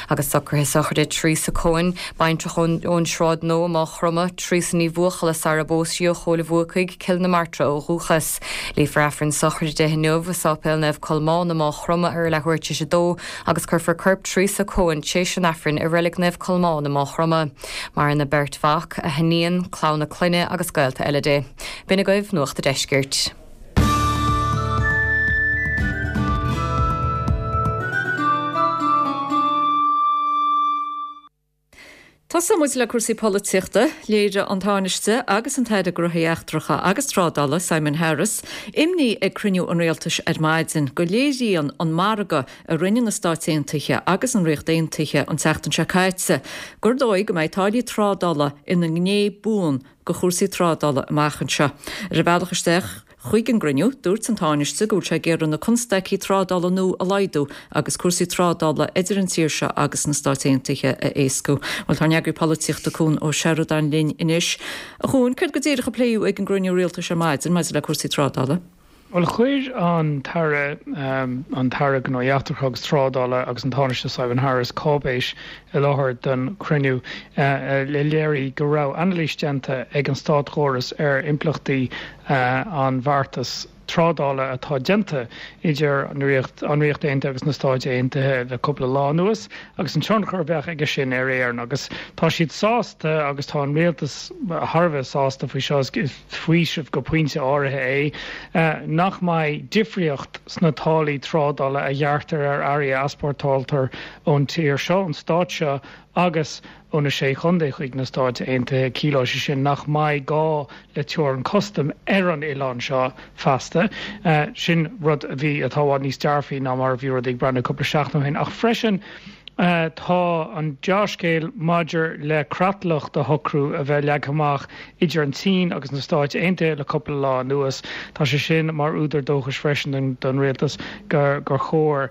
Agus socruithe sochraide Teresa Cohen, baintreach ón Sráid Nua i Maigh Chromtha, Teresa Ní Bhuachalla sara bpós sí ó Chóil Bhuacaigh, Cill na Martra ó dhúchas. Léifear Aifreann sochraide di inniu i Sáipéal Naomh Colmán i Maigh Chromtha ar leathuair tar éis a dó agus cuirfear corp Teresa Cohen tar éis an Aifrinn i Reilig Naomh Colmán i Maigh Chromtha. Maireann a beirt mhac, a hiníon, clann a clainne agus gaolta eile di. B'in agaibh Nuacht an Deiscirt. Tosóidh muid le cúrsaí polaitíochta. Léirigh an Tánaiste agus an tAire Gnóthaí Eachtracha agus Trádála, Simon Harris, imní ag cruinniú an Rialtais ar maidin go léiríonn an margadh a rinne na Stáit Aontaithe agus an Ríocht Aontaithe an tseachtain seo caite gur dóigh go mbeidh táillí trádála ina ngné buan de chúrsaí trádála amach anseo. Ar a bhealach isteach chuig an gcruinniú, dúirt an Tánaiste go bhfuil sé ag iarraidh na constaicí trádála nua a laghdú agus cúrsaí trádála idir an tír seo agus na Stáit Aontaithe a éascú. Bhuel, tá ár n-eagraí polaitíochta Cuan Ó Seireadáin linn anois. A Chuain, céard go díreach a pléadh ag an gcruinniú rialtais ar maidin maidir le cúrsaí trádála? Bhuel, chuir an tAire, an tAire Gnóthaí Eachtracha agus Trádála agus an Tánaiste Simon Harris cáipéis i láthair don chruinniú a léirigh go raibh anailís déanta ag an státchóras ar impleachtaí an bheartais trádála atá déanta idir an Ríocht Aontaithe agus na Stáit Aontaithe le cúpla lá anuas agus an tionchar a bheadh aige sin ar Éirinn. Agus tá siad sásta agus tá an rialtas thar a bheith sásta faoi seo, is faoiseamh go pointe áirithe é, nach mbeidh difríocht sna táillí trádála a ghearrtar ar earraí a easpórtáiltear ón tír seo, ón stát seo agus ó na Sé Chontae chuig na Stáit Aontaithe. Ciallóidh sé sin nach mbeidh gá le teorainn custaim ar an oileán seo feasta. Sin rud a bhí, atá i bhfad níos dearfaí ná mar a bhí rudaí ag breathnú cúpla seachtain ó shin. Ach freisin tá an dea-scéal maidir le creatlach do shocrú a bheith leagtha amach idir an tSín agus na Stáit Aontaithe le cúpla lá anuas. Tá sé sin mar údar dóchais freisin don rialtas gur chóir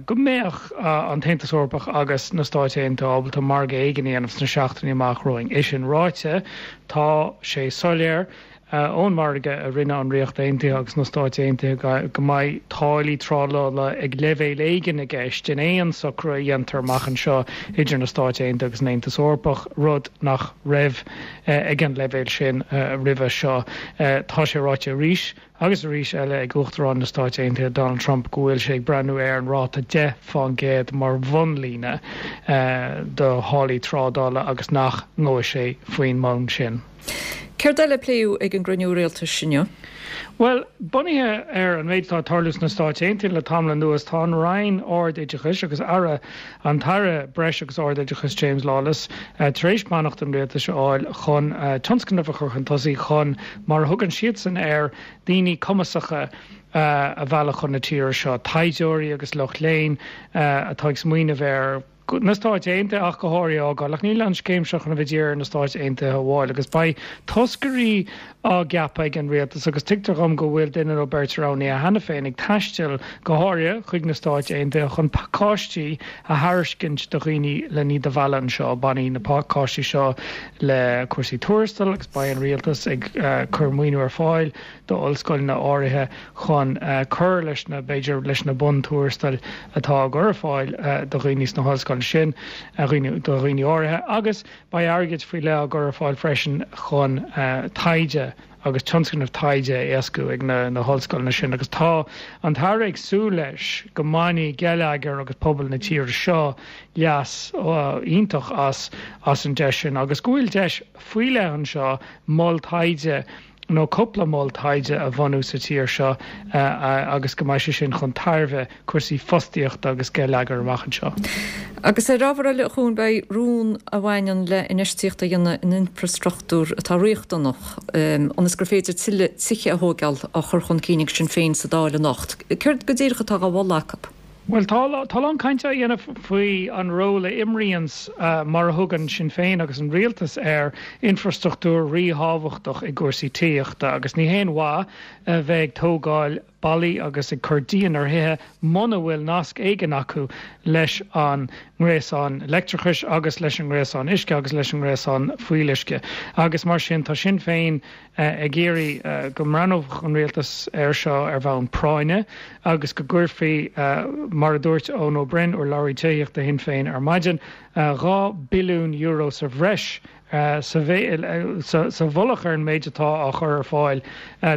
go mbeadh an tAontas Eorpach agus na Stáit Aontaithe ábalta margadh éigin a dhéanamh sna seachtainí amach romhainn. É sin ráite, tá sé soiléir ón margadh a rinne an Ríocht Aontaithe agus na Stáit Aontaithe go mbeidh táillí trádála ag leibhéal éigin i gceist in aon socrú a dhéantar amach anseo idir na Stáit Aontaithe agus an Aontas Eorpach, rud nach raibh ag an leibhéal sin roimhe seo. Tá sé ráite arís agus arís eile ag Uachtarán na Stáit Aontaithe Donald Trump go bhfuil sé ag breathnú ar an ráta deich fán gcéad mar bhunlíne do tháillí trádála agus nach ngabhfaidh sé faoin mbonn sin. Céard eile a pléadh ag an gcruinniú rialtais inniu? Bhuel, bunaithe ar an méid atá ag tarlú sna Stáit Aontaithe le tamall anuas, tá an Roinn Ard-Oideachais agus Aire, an tAire Breis agus Ard-Oideachais James Lawless, tar éis beannacht an rialtais a fháil chun tionscnamh a chur chun tosaigh chun, mar a thugann siadsan air, daoine cumasacha a mhealladh chun na tíre seo, taighdeoirí agus lucht léinn atá ag smaoineamh ar na Stáit Aontaithe ach go háirithe a fhágáil. Ach níl an scéim seo chun a bheith dírithe ar na Stáit Aontaithe amháin agus beidh toscairí á gceapadh ag an rialtas agus tuigtear dhom go bhfuil duine nó beirt roghnaithe cheana féin ag taisteal go háirithe chuig na Stáit Aontaithe chun pacáistí a thairiscint do dhaoine le iad a mhealladh anseo. Bainfidh na pacáistí seo le cúrsaí tuarastail agus beidh an rialtas ag cur maoiniú ar fáil d'ollscoileanna áirithe chun cur leis na, b'fhéidir, leis na buntuarastail atá á gcur ar fáil do dhaoine sna hollscoileanna sin, do dhaoine áirithe, agus beidh airgead faoi leith á gcur ar fáil freisin chun taighde agus tionscnaimh taighde a éascú ag na hollscoileanna sin. Agus tá an tAire ag súil leis go mbainfidh geilleagar agus pobal na tíre seo leas iontach as as an deis sin agus go bhfuil deis faoi leith anseo mol taighde nó cúpla mol taighde a bhunú sa tír seo agus go mbeidh sé sin chun tairbhe cúrsaí fostaíochta agus geilleagair amach anseo. Agus ar ábhar eile, a Chuain, beidh rún a bhaineann le infheistíocht a dhéanamh in infreastruchtúr atá riachtanach ionas gur féidir tuilleadh tithe a thógáil á chur chun cinn ag Sinn Féin sa Dáil anocht. Céard go díreach atá á mholadh acu? Bhuel, tá a lán cainte á dhéanamh faoi an ról a imríonns, mar a thugann Sinn Féin agus an rialtas air, infrastruchtúr ríthábhachtach i gcúrsaí tithíochta agus ní haon mhaith a bheith ag tógáil ballaí agus ag cur díon ar thithe muna bhfuil nasc éigin acu leis an ngréasán leictreachais agus leis an ngréasán uisce agus leis an ngréasán fuíolluisce. Agus mar sin, tá Sinn Féin ag iarraidh go mbreathnódh an rialtas air seo ar bhonn práinne agus go gcuirfí Mar a dúirt Eoin Ó Broin, urlabhraí tithíochta Shinn Féin ar maidin, dhá billiún euro sa bhreis sa mhullach ar an méid atá á chur ar fáil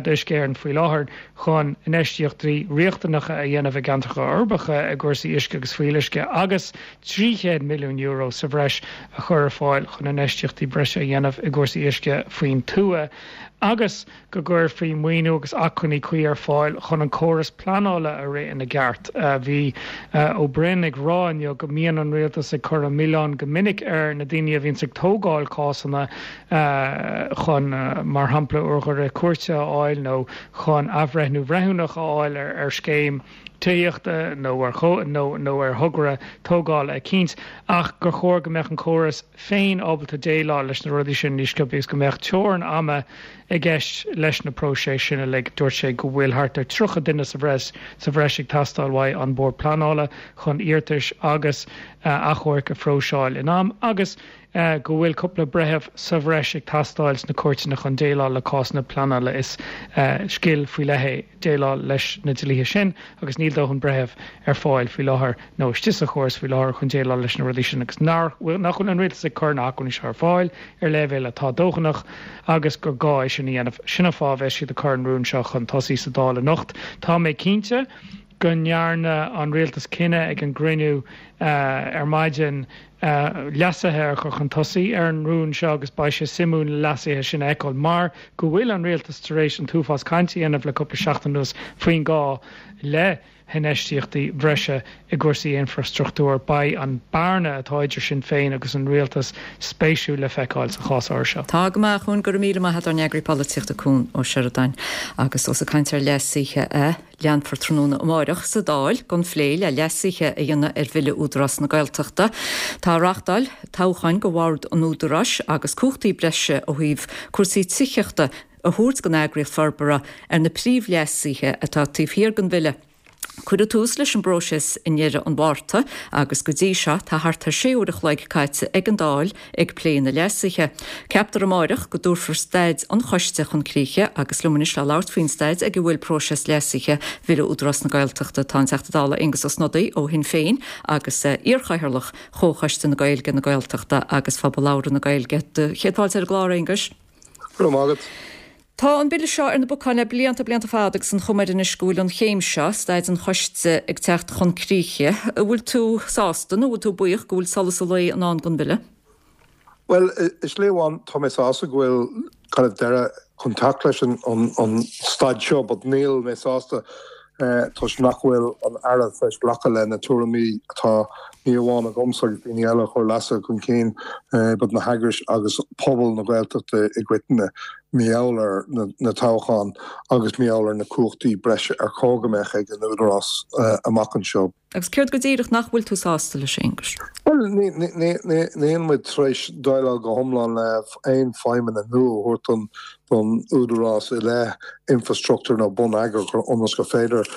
d'Uisce Éireann faoi láthair chun infheistíochtaí riachtanacha a dhéanamh i gceantracha uirbeacha i gcúrsaí uisce agus fuíolluisce agus trí chéad milliún euro sa bhreis a chur ar fáil chun infheistíochtaí breise a dhéanamh i gcúrsaí uisce faoin tuath agus go gcuirfí maoiniú agus acmhainní cuí ar fáil chun an córas pleanála a rith ina gceart. Bhí Ó Broin ag rá inniu go mbíonn an rialtas ag cur an milleán go minic ar na daoine a bhíonns ag tógáil cásanna chun, mar shampla, urghaire cúirte a fháil nó chun athbhreithniú breithiúnach a fháil ar scéim tithíochta nó ar nó ar thogra tógála eicínt, ach gur chóir go mbeadh an córas féin ábalta déileáil leis na rudaí sin níos sciobtha agus go mbeadh teorainn ama i gceist leis na próisis sin uilig. Dúirt sé go bhfuil thart ar tríocha duine sa bhreis sa bhreis ag teastáil uaidh an Bord Pleanála chun iarratais agus achomhairc a phróiseáil in am agus go bhfuil cúpla breitheamh sa bhreis ag teastáil sna cúirteanna chun déileáil le cásanna pleanála. Is scil faoi leith é déileáil leis na dlíthe sin agus níl dóthain breitheamh ar fáil faoi láthair nó istigh sa chóras faoi láthair chun déileáil leis na rudaí sin agus nach bhfuil an rialtas ag cur na hacmhainní seo ar fáil ar leibhéal atá dóthanach agus gur gá é sin a dhéanamh. Sin an fáth a bheas siad ag cur an rún seo chun tosaigh sa Dáil anocht. Tá mé cinnte go ndearna an rialtas cinneadh ag an gcruinniú ar maidin leasuithe a chur chun tosaigh ar an rún seo agus beidh sé suimiúil na leasuithe sin a fheiceáil mar go bhfuil an rialtas tar éis an t-uafás cainte a dhéanamh le cúpla seachtain anuas faoin gá le hinfheistíochtaí breise i gcúrsaí infreastruchtúir. Beidh an bearna atá idir Sinn Féin agus an rialtas spéisiúil le feiceáil sa chás áirithe seo. Tá go maith, a Chuain, go raibh míle maith agat ár n-eagraí polaitíochta Cuan Ó Seireadáin. Agus ós ag caint ar leasuithe a leanfar tráthnóna amáireach sa Dáil den phlé le leasuithe a dhéanamh ar Bhille Údarás na Gaeltachta. Tá reachtáil toghcháin go bhord an Údaráis agus cumhachtaí breise ó thaobh cúrsaí tithíochta a thabhairt don eagraíocht forbartha ar na príomhleasuithe atá taobh thiar den bhille. Cuireadh tús leis an bpróiseas i ndeireadh an Mhárta agus go dtí seo tá thart ar sé uair a chloig caite ag an Dáil ag plé na leasuithe. Ceaptar amáireach go dtabharfar staid an choiste chun críche agus liom anois le labhairt faoin staid ag a bhfuil próiseas leasuithe Bhille Údarás na Gaeltachta tá an Teachta Dála Aengus Ó Snodaigh ó Shinn Féin agus iarchathaoirleach Chomhchoiste na Gaeilge, na Gaeltachta agus Phobal Labhartha na Gaeilge. Do chéad fáilte ar an gclár, Aengus. Go raibh maith agat. Tá an bille seo ar na bacáin le blianta, blianta fada agus an chuma air anois go bhfuil an chéim seo, staid an choiste, ag teacht chun críche. An bhfuil tú sásta nó an bhfuil tú buíoch go bhfuil solas an lae i ndán don bhille? Bhuel, i slí amháin tá mé sásta go bhfuil kind of deireadh chun teacht leis an an staid seo but níl mé sásta toisc nach bhfuil an Aire tar éis glacadh le na tuairimí atá ní amháin agamsa agus daoine eile a chuir leasuithe chun cinn but na heagrais agus pobal na Gaeltachta i gcoitinne mar gheall ar na toghcháin agus mar gheall ar na cumhachtaí breise ar chóir go mbeadh ag an Údarás amach anseo. Agus céard go díreach nach bhfuil tú sásta leis, a Aonghuis? Bhuel, níl muid tar éis déileáil go hiomlán le aon feidhmeanna nua a thabhairt don Údarás i leith infrastruchtúr nó bonneagar ionas gur féidir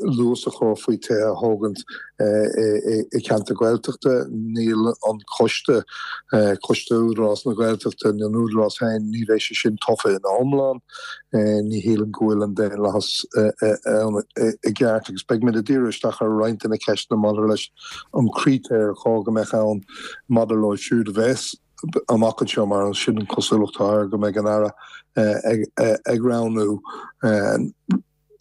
luas a chur faoi tithe a thógaint i gceantar Gaeltachta. Níl an coiste, Coiste Údarás na Gaeltachta nó an Údarás féin, ní bheidh sé sin tofa ina iomlán. Ní shílim go bhfuil an daonlathas ann i gceart agus beidh muid ag díriú isteach ar roinnt de na ceisteanna maidir leis an critéir ar chóir go mbeadh ann maidir leo siúd a bheas amach anseo mar sin an cosúlacht atá air go mbeidh an Aire ag roghnú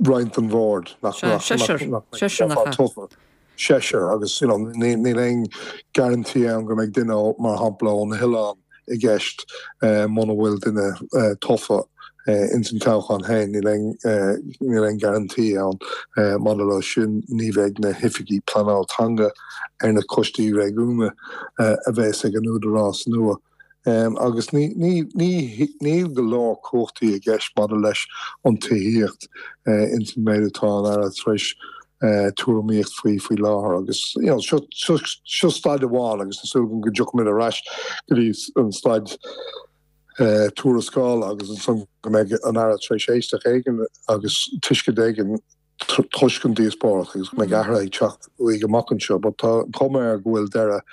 roinnt den bhord nach mbeadh tofa. Seisear agus you know níl aon guarantee ann go mbeidh duine mar shampla ó na hoileáin i gceist muna bhfuil duine tofa ins an toghchán féin. Níl aon níl aon guarantee ann maidir leo sin. Ní bheidh na hoifigigh pleanáil teanga ar na coistí réigiúnacha a bheas ag an údarás nua. Agus ní ní ní níl go leor cumhachtaí i gceist maidir leis an tithíocht ins an méid atá an Aire tar éis tuairimíocht faoi faoi láthair agus you know seo seo seo staid amháin agus tá súil agam go dtiocfaimid ar ais go dtí an staid tuarascála agus ansan go mbeidh an Aire tar éis éisteacht éigin agus tuiscint éigin toisc an díospóireacht agus go mbeidh athruithe ag teacht uaidh amach anseo but tá an chuma air go bhfuil deireadh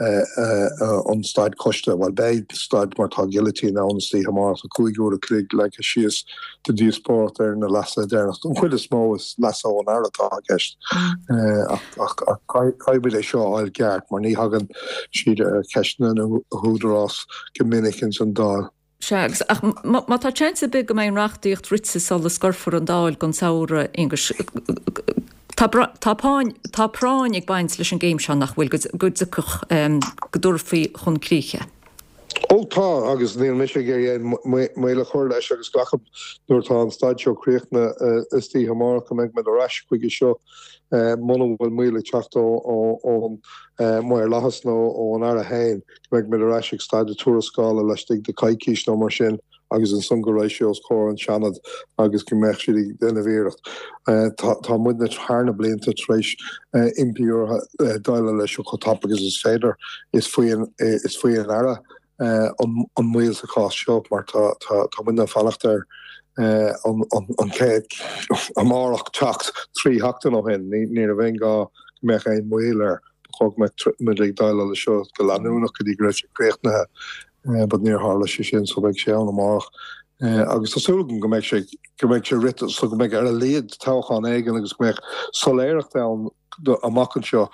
an staid coiste, bhuel beidh staid mar tá guillotine ann istoíche amárach, tá cúig uair a chloig leagtha síos do díospóireacht ar na leasuithe deireanacha. An chuid is mó is leasuithe ón Aire atá i gceist ach caithfidh muid é seo a fháil ceart mar ní thagann siad ar cheisteanna na húdarás go minic ins an Dáil. Sea, agus ach má tá seans ar bith go mbeidh an reachtaíocht rite sula scoirfear an Dáil don samhradh, Aonghus, tá tá práinn tá práinn ag baint leis an gcéim seo nach bhfuil, go dtiocfadh, go dtabharfaí chun críche. Ó tá, agus níl mise ag iarraidh aon mhoill a chur leis agus glacaim nuair atá an staid seo críochnaithe istoíche amárach go mbeidh muid ar ais chuige seo muna bhfuil moill ag teacht ón maorlathas nó ón Aire féin, go mbeidh muid ar ais ag staid na tuarascála laistigh de coicís nó mar sin agus ansan go raghaidh sé os comhair an Seanad agus go mbeadh siad ag déanamh iarracht. Tá muidne thar na blianta tar éis impí orthu déileáil leis seo chomh tapa agus is féidir. Is faoi is faoi an Aire an mhoill sa chás seo mar tá tá muidne ag fanacht air an chéad amárach teacht trí sheachtain ó shin. Ní raibh aon ghá go mbeadh aon mhoill air. Ba chóir go mbeadh muid ag déileáil leis seo go leanúnach go dtí go raibh sé críochnaithe but níor tharla sé sin so beidh sé ann amárach. Agus tá súil agam go mbeidh sé go mbeidh sé rite so go mbeidh ar a laghad toghchán éigin agus go mbeidh soiléireacht ann amach anseo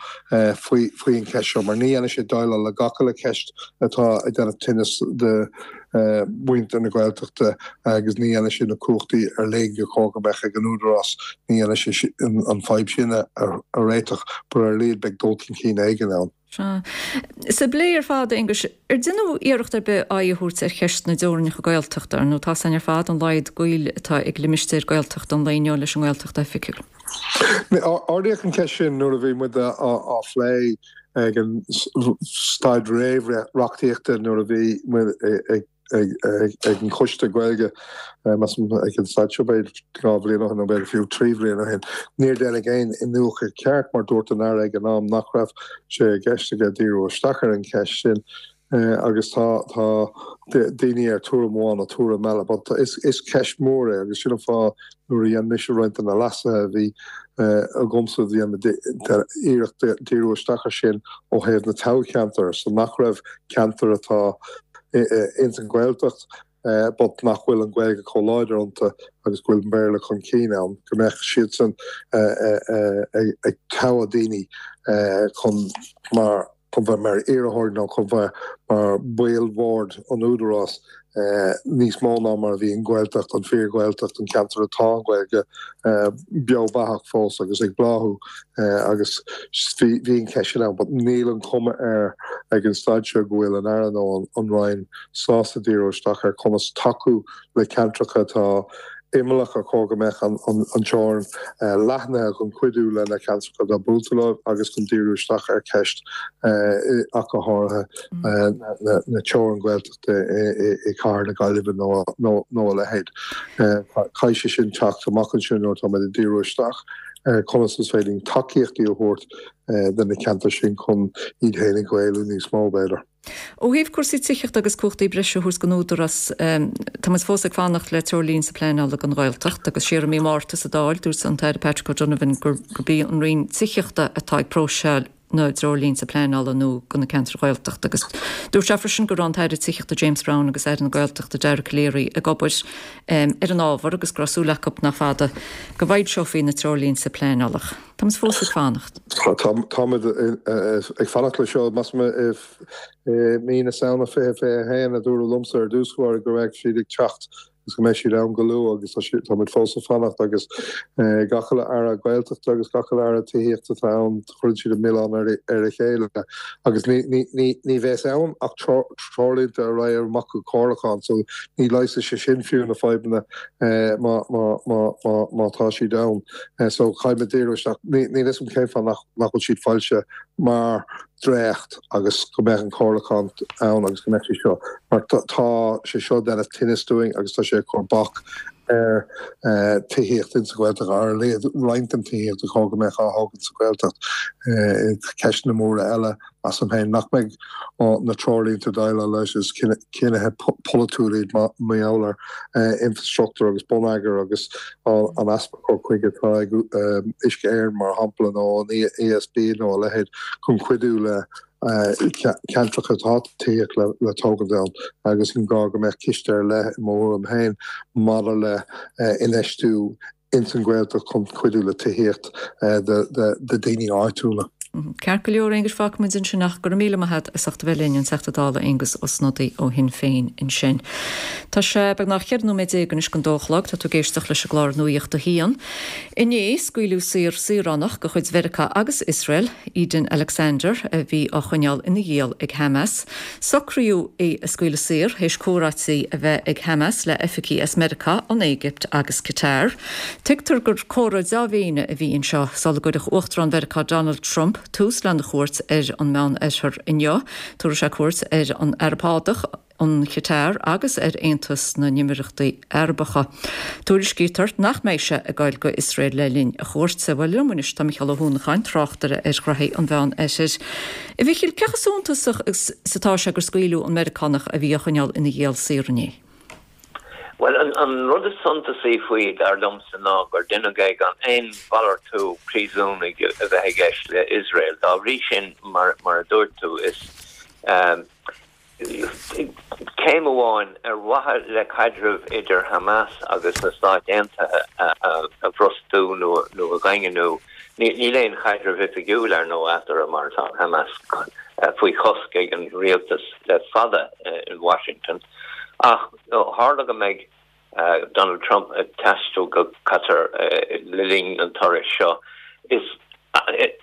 faoi faoi an cheist seo mar ní dhéanfaidh sé déileáil le gach uile cheist atá ag déanamh tinnis do mhuintir na Gaeltachta agus ní dhéanfaidh sé na cumhachtaí ar leith gur chóir go mbeadh ag an Údarás, ní dhéanfaidh sé an fadhb sin a réiteach but ar a laghad beidh dul chun cinn éigin ann. Sea. Sa bplé ar fad, a Aonghuis, ar deineadh iarracht ar bith aghaidh a thabhairt ar cheist na dteorainneacha Gaeltachta, ar ndóigh tá a fhios againn ar fad an laghad gaoil atá ag limistéir Gaeltachta an lae inniu leis an nGaeltacht oifigiúil. Ardaíodh an cheist sin nuair a bhí muid á phlé ag an staid réamh-reachtaíochta nuair a bhí muid ag ag an Choiste Gaeilge, measaim ag an staid seo b'fhéidir dhá bhliain ó shin nó b'fhéidir fiú trí bhliain ó shin. Níor deineadh aon iniúchadh ceart mar dúirt an Aire ag an am nach raibh sé i gceist aige díriú isteach ar an cheist sin agus tá tá daoine ar tuairim amháin nó tuairim eile but is is ceist mhór é agus sin an fáth nuair a dhein mise roinnt de na leasuithe a bhí agamsa dhein iarracht díriú isteach ar sin ó thaobh na toghcheantar so nach raibh ceantar atá ins an Ghaeltacht but nach bhfuil an Ghaeilge chomh láidir iontu agus go bhfuil an Béarla chun cinn ann, go mbeadh siadsan ag toghadh daoine chun mar chun bheith mar iarrthóirí nó chun bheith mar bhaill bhord an Údarás níos mó ná mar a bhí an Ghaeltacht, an fíor-Ghaeltacht, an ceantar atá an Ghaeilge beo beathach fós agus ag bláthú agus bhí bhí an cheist sin ann but níl an chuma air ag an staid seo go bhfuil an Aire nó an Roinn sásta díriú isteach ar conas tacú le ceantracha atá imeallach ar chóir go mbeadh an teorainn leathnaithe chun cuidiú le na ceantracha atá buailte leo agus chun díriú isteach ar cheist ach go háirithe na teorann Gaeltachta i gcathair na Gaillimhe nó a leithéid. Caithfidh sé sin teacht amach ansin nuair atá muid ag díriú isteach ar conas is féidir linn tacaíochtaí a thabhairt do na ceantair sin chun iad féin a Ghaelú níos mó, b'fhéidir. Ó thaobh cúrsaí tithíochta agus cumhachtaí breise a thabhairt don Údarás, tá muid fós ag fanacht le treoirlínte pleanála don Ghaeltacht agus siar i mí Márta sa Dáil dúirt an tAire Patrick O'Donovan gurb í an Roinn Tithíochta atá ag próiseáil na dtreoirlínte pleanála nua do na ceantair Ghaeltachta agus dúirt sé freisin go raibh an tAire Tithíochta James Browne agus Aire na Gaeltachta Dara Calleary ag obair ar an ábhar agus go raibh súil acu nach fada go bhfoilseofaí na treoirlínte pleanála. Táimid fós ag fanacht. Táimid ag fanacht le seo. Measaim i mí na Samhna fiche fiche a haon a dúradh liomsa ar dtús báire go raibh siad ag teacht agus go mbeidh siad ann go luath agus táimid fós ag fanacht agus gach uile Aire Gaeltachta agus gach uile Aire Tithíochta atá ann cuireann siad an milleán ar a chéile agus ní bheas ann ach treoirlínte a raghaidh amach go comhairliúchán so ní leigheasfaidh sé sin fiú na fadhbanna má tá siad ann so caithfidh muid díriú isteach níl fhios agam cén fáth nach bhfuil siad foilsithe mar dréacht agus go mbeadh an comhairliúchán ann agus go mbeadh sé seo mar tá sé seo ag déanamh tinnis dúinn agus tá sé ag cur bac ar tithíocht insa Ghaeltacht, ar a laghad roinnt den tithíocht a chóir go mbeadh á thógaint sa Ghaeltacht. Ceisteanna móra eile, measaim féin, nach mbeidh na treoirlínte déileáil leis, is cinnithe polaitiúil iad mar gheall ar infrastruchtúr agus bonneagar agus an easpa cur chuige atá ag Uisce Éireann, mar shampla, nó an ESB nó a leithéid chun cuidiú le Ceantracha atá tithíocht le tógáil ann agus an gá go mbeadh ciste ar leith i mo thuairim féin maidir le infheistiú ins an Ghaeltacht chun cuidiú le tithíocht do daoine áitiúla. Ceart go leor, Aengus, fágfaidh muid ansin ach go raibh míle maith agat as ucht a bheith linn, an Teachta Dála Aengus Ó Snodaigh ó Shinn Féin ansin. Tá sé beagnach ceithre nóiméad déag anois don dó a chlog, tá tú ag éisteacht leis an gclár Nuacht a hAon. Inné, scaoileadh saor saoránach de chuid Mheiriceá agus Iosrael, Eden Alexander, a bhí á choinneáil ina ghiall ag Hamas. Socraíodh é a scaoileadh saor théis comhráití a bheith ag Hamas le oifigigh as Meiriceá, an Éigipt agus Qatar. Tuigtear gur comhrá dea-mhéine a bhí anseo sula gcuirfeadh Uachtarán Mheiriceá Donald Trump tús lena chuairt ar an Meánoirthear inniu. Tabharfaidh sé cuairt ar an Araib Shádach, an Chatar agus ar Aontas na nÉimíríochtaí Arabacha. Tuairiscítear nach mbeidh sé ag goil go Iosrael le linn a chuairte. Bhuel, liom anois tá Micheál Ó hUanacháin, tráchtaire ar ghraithí an Mheánoirthir. A Mhichíl, cé chomh suntasach is atá sé gur scaoileadh an Meiriceánach a bhí á choinneáil ina ghiall saor inné? Bhuel, an rud is suntasaí faoi, dar liomsa, ná gur deineadh é gan aon mhalartú príosúnaigh a bheith i gceist le Iosrael. Dá bhrí sin, mar a dúirt tú, is. Céim amháin ar mhaithe le caidreamh idir Hamas agus na Stáit Aontaithe a bhrostú nó a dhaingniú. Níl aon chaidreamh oifigiúil, ar ndóigh, eatarthu mar tá Hamas faoi chosc ag an rialtas le fada in Washington. Ach ó tharla go mbeidh Donald Trump ag taisteal go Qatar le linn an turais seo, is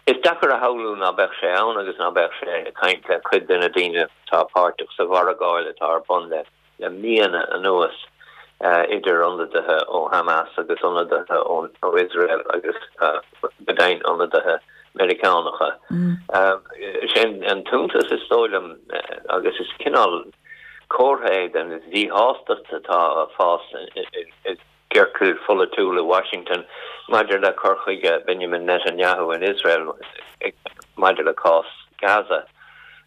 is deacair a shamhlú ná beadh sé ann agus ná beadh sé ag caint le cuid de na daoine atá páirteach sa mhargáil atá ar bun le le míonna anuas idir ionadaithe ó Hamas agus ionadaithe ó Iosrael agus go deimhin ionadaithe Meiriceánacha. Sin an t-iontas is dóigh liom agus is cineál comhartha é den mhíshástacht atá ag fás i gciorcail pholaitiúla Washington maidir le cur chuige Benjamin Netanyahu in Iosrael maidir le cás Gaza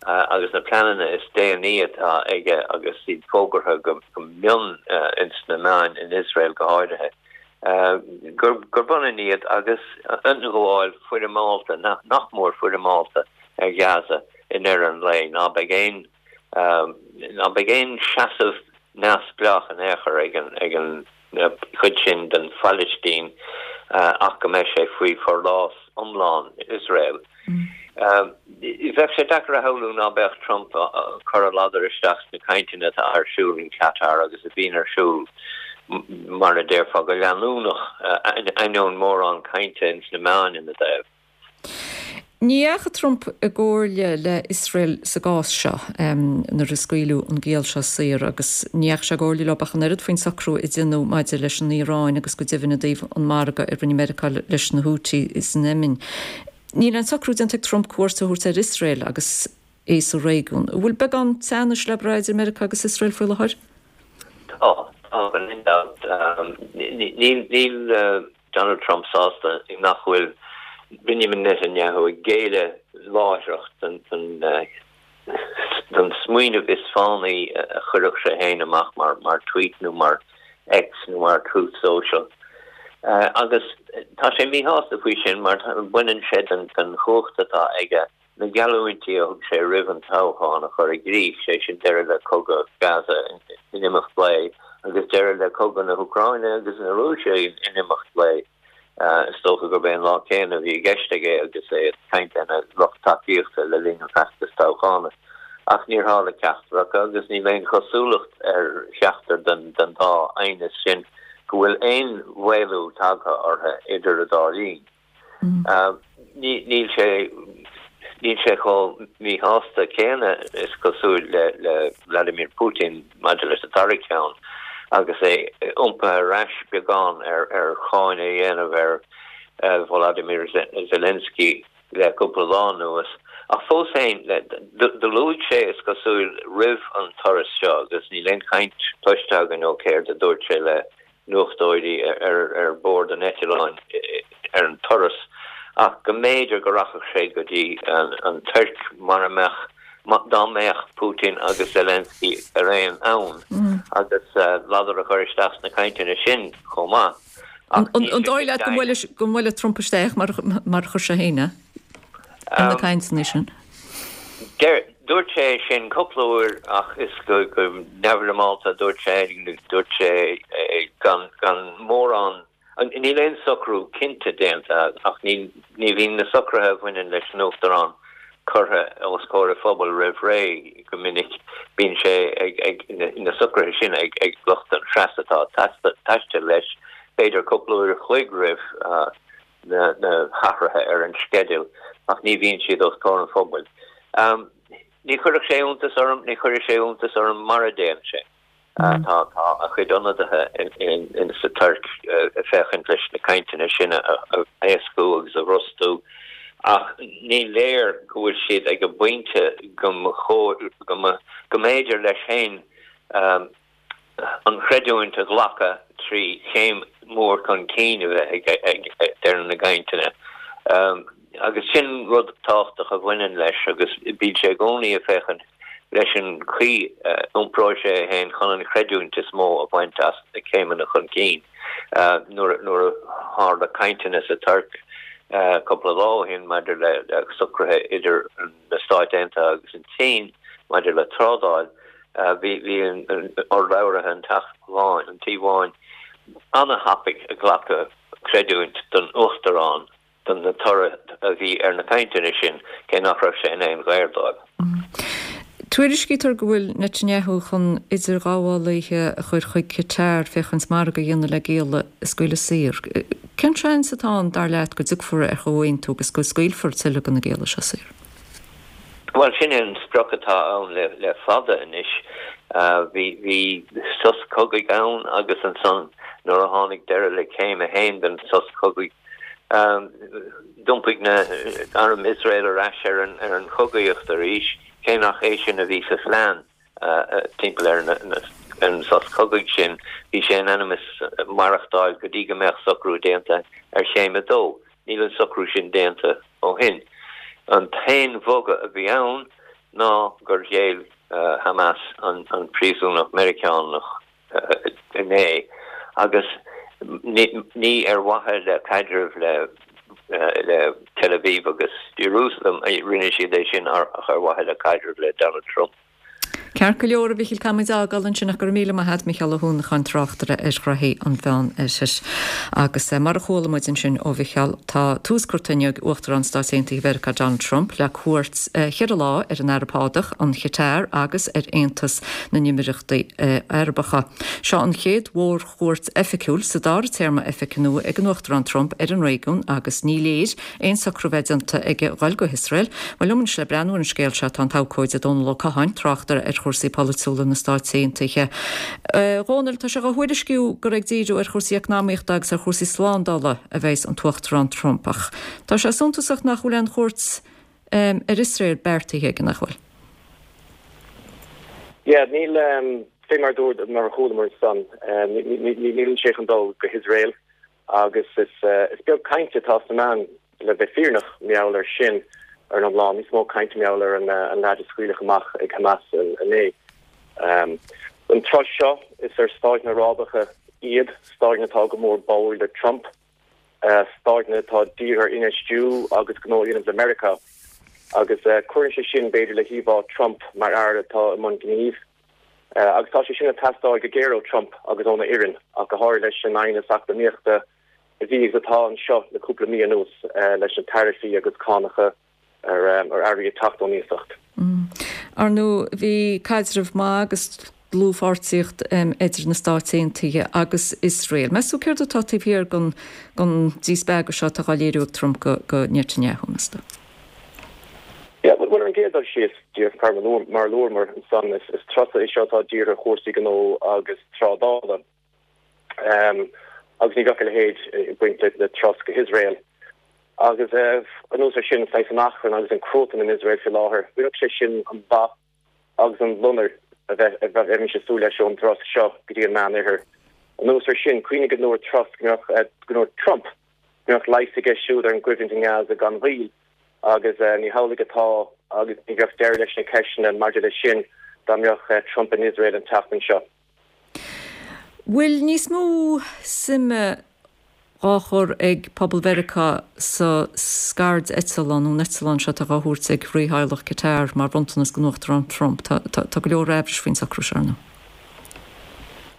agus na pleananna is déanaí atá aige agus iad fógartha go mion ins na meáin in Iosrael go háirithe, gurb ionann iad agus ionghabháil foirmeálta, nach mór foirmeálta, ar Ghaza i ndeireadh an lae. Ná beidh aon ná beidh aon seasamh neamhspleách in aon chor ag an ag an chuid sin den Phalaistín ach go mbeidh sé faoi forlás iomlán Iosrael. Bheadh sé deacair a shamhlú ná beadh Trump ag cur a ladar isteach sna cainteanna atá ar siúl in Qatar agus a bhíonn ar siúl, mar a déarfá, go leanúnach, ainneoin mórán cainte ins na meáin ina dtaobh. Ní dheachaigh Trump i gcomhairle le Iosrael sa gcás seo nuair a scaoileadh an giall seo saor agus ní dheachaigh sé i gcomhairle leo ach an oiread faoin socrú a deineadh maidir leis an Iaráin agus go deimhin i dtaobh an margadh a rinne Meiriceá leis na Houthi san Éimin. Níl aon socrú déanta ag Trump cuairt a thabhairt ar Iosrael agus é sa réigiún. An bhfuil beagán teannais le brath idir Meiriceá agus Iosrael faoi láthair? Tá, tá gan aon dabht. Níl Donald Trump sásta nach bhfuil Benjamin Netanyahu ag géilleadh láithreach don smaoineamh is fánaí a chuirfeadh sé féin amach mar tweet nó mar X nó mar Truth Social. Agus tá sé míshásta faoi sin mar baineann sé den chumhacht atá aige na geallúintí a thug sé roimh an toghchán a chur i gcrích, sé sin deireadh le cogadh Gaza in imeacht lae agus deireadh le cogadh na hÚcráine agus na Rúise in imeacht lae. Is dócha gurb é an lá céanna a bhí i gceist aige agus é ag caint lena lucht tacaíochta le linn an fheachtais toghchána. Ach níor tharla ceachtar acu agus níl aon chosúlacht ar cheachtar den dá aighneas sin go bhfuil aon mhaolú tagtha orthu idir an dá linn. Níl sé níl sé chomh míshásta céanna, is cosúil, le Vladimir Putin maidir leis an dara ceann agus é iompaithe ar ais beagán ar cháineadh a dhéanamh ar Volodymyr Zelensky le cúpla lá anuas. Ach fós féin, do luaigh sé, is cosúil, roimh an turas seo, agus níl aon chaint cloiste againn ó céard a dúirt sé le nuachtóirí ar bord an eitleáin ar an turas ach go mb'fhéidir go rachadh sé go dtí an Tuirc mara mbeadh, dá mbeadh Putin agus Zelensky araon ann agus ladar a chur isteach sna cainteanna sin chomh maith. Ach An dóigh leat go mbuailfidh Trump isteach mar a chuir sé féin é ar na cainteanna sin? Dúirt sé sin cúpla uair ach is go neamhfhoirmeálta a dúirt sé, dúirt sé gan gan mórán, níl aon socrú cinnte déanta ach ní ní bhíonn na socruithe a bhaineann leis an Uachtarán curtha os comhair an phobail roimh ré go minic, bíonn sé ag ag na socruithe sin ag ag lucht an phreas atá ag taisteal leis, b'fhéidir cúpla uair a chloig roimh na hathruithe ar an sceideal ach ní bhíonn siad os comhair an phobail. Ní chuirfeadh sé iontas orm, ní chuirfeadh sé iontas orm mara dtéann sé. Tá tá a chuid ionadaithe sa Tuirc ag féachaint leis na cainteanna sin a éascú agus a bhrostú ach ní léir go bhfuil siad ag an bpointe go go mb'fhéidir leis féin an chreidiúint a ghlacadh trí chéim mhór chun cinn a bheith ag deireadh na gcainteanna. Agus sin rud tábhachtach a bhaineann leis agus bíonn sé i gcónaí ag féachaint leis an chaoi a iompróidh sé é féin chun an chreidiúint is mó a bhaint as na céimeanna chun cinn. Nuair a tharla cainteanna sa Tuirc cúpla lá ó shin maidir le socruithe idir na Stáit Aontaithe agus an tSín maidir le trádáil, Bhí urlabhraithe an Teach Bháin, an Tí Bháin, an-thapaidh ag glacadh creidiúint don Uachtarán don na toradh a bhí ar na cainteanna sin, cé nach raibh sé in aon ghair dóibh. Tuairiscítear go bhfuil Netanyahu chun idirghabhálaithe a chur chuig Qatar féachaint margadh a dhéanamh le gialla a scaoileadh saor. Cén seans atá ann, dar leat, go dtiocfar ar chomhaontú agus go scaoilfear tuilleadh de na gialla seo saor? Bhuel, sin é an sprioc atá ann le fada anois. Bhí sos cogaidh ann agus ansan nuair a tháinig deireadh le céim a haon den sos cogaidh, d'iompaigh na arm Iosrael ar ais ar an chogaíocht arís, cé nach é sin a bhí sa phlean timpeall ar an sos cogaidh sin. Bhí sé in ainm is maireachtáil go dtí go mbeadh socrú déanta ar chéim a dó. Níl an socrú sin déanta ó shin. An t-aon bhogadh a bhí ann ná gur ghéill Hamas an príosúnach Meiriceánach inné agus ní ar mhaithe le caidreamh le Tel Aviv agus Jerusalem a rinne siad é sin ach ar mhaithe le caidreamh le Donald Trump. Ceart go leor, a Mhichíl, caithfidh muid é a fhágáil ansin ach go raibh míle maith agat, Micheál Ó hUanacháin, tráchtaire ar ghnoithí an Mheán Oirthir. Agus mar a chuala muid ansin ó Mhicheál, tá tús curtha inniu ag Uachtarán Stáit Aontaithe Mheiriceá Donald Trump le cuairt cheithre lá ar an Araib Shádach, an Chatar agus ar Aontas na nÉimíríochtaí Arabacha. Seo an chéad mhórchuairt oifigiúil sa dara téarma oifige nua ag an Uachtarán Trump ar an réigiún agus ní léir aon socrú bheith déanta aige dhul go hIosrael. Bhuel, liom anois le breathnú ar an scéal seo tá an t-abhcóide Dónal Ó Catháin, tráchtaire ar chúrsaí polaitiúla na Stáit Aontaithe. A Dhónaill, tá sé á thuairisciú gur ag díriú ar chúrsaí eacnamaíochta agus ar chúrsaí slándála a bheas an tUachtarán Trump ach tá sé suntasach nach bhfuil aon chuairt ar Iosrael beartaithe aige, nach bhfuil? Yeah, níl, fé mar dúirt, mar a chualamar ansan, níl sé chun dul go hIosrael agus is beag caint atá sna meáin Le bheith fírinneach, mar gheall air sin, ar an iomlán, níos mó cainte mar gheall ar an leaid a scaoileadh amach ag Hamas inné. An turas seo, is ar stáiteanna Arabacha iad, stáiteanna atá go mór báúil le Trump, stáiteanna atá dírithe ar infheistiú agus gnó a dhéanamh le Meiriceá. Agus cuireann sé sin, b'fhéidir, le híomhá Trump mar fhear atá i mbun gnímh. Agus tá sé sin ag teastáil go géar ó Trump agus óna fhoireann, ach go háirithe leis an aighneas eacnamaíochta a bhí agus atá anseo le cúpla mí anuas leis na taraifí agus cánacha ar earraí ag teacht ón iasacht. Ar ndóigh, bhí caidreamh maith agus dlúthpháirtíocht idir na Stáit Aontaithe agus Iosrael. Meas tú céard atá taobh thiar den díspeagadh seo atá á léiriú ag Trump go Netanyahu, meas tú? Yeah, bhuel, ar an gcéad dul síos, díreach mar a luamar ansan, is turas é seo atá dírithe ar chúrsaí gnó agus trádála. Agus ní bheadh a leithéid ag baint le turas go hIosrael. Agus anuas air sin, saghas an achrann agus an cruatan in Iosrael faoi láthair, rinneadh sé sin an mhaith agus an loinnir a bheimis ag súil leis ón dturas seo go dtí an Meánoirthear. Anuas air sin, cuimhnigh go ndúirt Truss go mbeadh, go ndúirt Trump go mbeadh leigheas aige siúd ar an gcoimhlint i nGaza gan mhoill, agus ní hamhlaidh atá agus ní bheadh deireadh leis na ceisteanna maidir leis sin dá mbeadh Trump in Iosrael an tseachtain seo. Bhfuil níos mó suime dhá chur ag pobal Mheiriceá sa scairdeitleán nó an eitleán seo atá dhá thabhairt ag rítheaghlach Qatar mar bhronntanas don Uachtarán Trump. Tá tá go leor aimhris faoin socrú seo, ar ndóigh.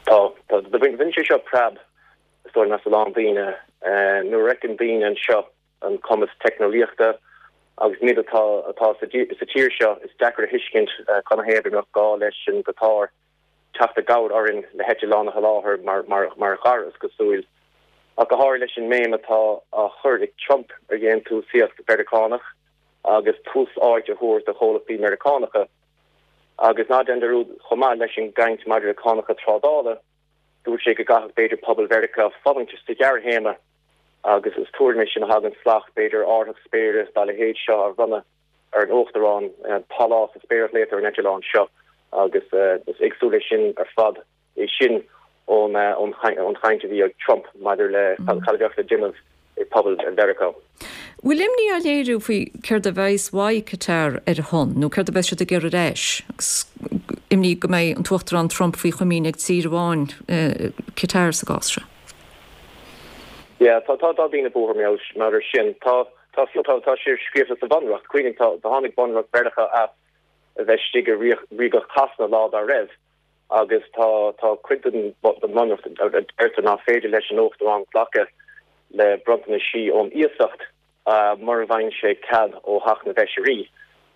Tá, tá, bhain sé seo preab is dóigh as a lán daoine. Nuair a fheiceann daoine anseo an cumas teicneolaíochta agus míleata atá sa tír seo, is deacair a thuiscint canathaobh go mbeadh gá leis an gCatáir teacht i gcabhair orainn le heitleán a sholáthar mar chara, is cosúil, ach go háirithe leis an mbéim atá á chur ag Trump ar dhéantúsaíocht Mheiriceánach agus tús áite a thabhairt do chomhlachtaí Meiriceánacha. Agus ná déan dearúd chomh maith leis an gcaint maidir le cánacha trádála, dúirt sé go gcaithfeadh b'fhéidir pobal Mheiriceá fulaingt sa ghearrthéarma agus is tuairim é sin a thagann salach b'fhéidir árthach spéire dá leithéid seo a bhronnadh ar an Uachtarán, pálás sa spéir a ghlaotar ar an eitleán seo agus is éagsúil é sin ar fad é sin ón chaint a bhí ag Trump maidir le cad a bheadh le déanamh ag pobal Mheiriceá. Bhfuil imní á léiriú faoi céard a bheas uaidh Qatar ar a shon nó céard a bheas siad ag iarraidh ar ais agus imní go mbeidh an tUachtarán Trump faoi chomaoin ag tír amháin, Qatar sa gcás seo? Yeah, tá tá tá daoine buartha mar air sin. Tá tá tá tá sé scríofa sa bhunreacht. Cuimhnigh tá tá tháinig bunreacht Mheiriceá as a bheith istigh i ríogacht Shasana lá dá raibh agus tá tá cuid den bhunreacht a deirtear nach féidir leis an Uachtarán glacadh le bronntanaisí ón iasacht mura bhfaigheann sé cead ó Theach na bhFeisirí,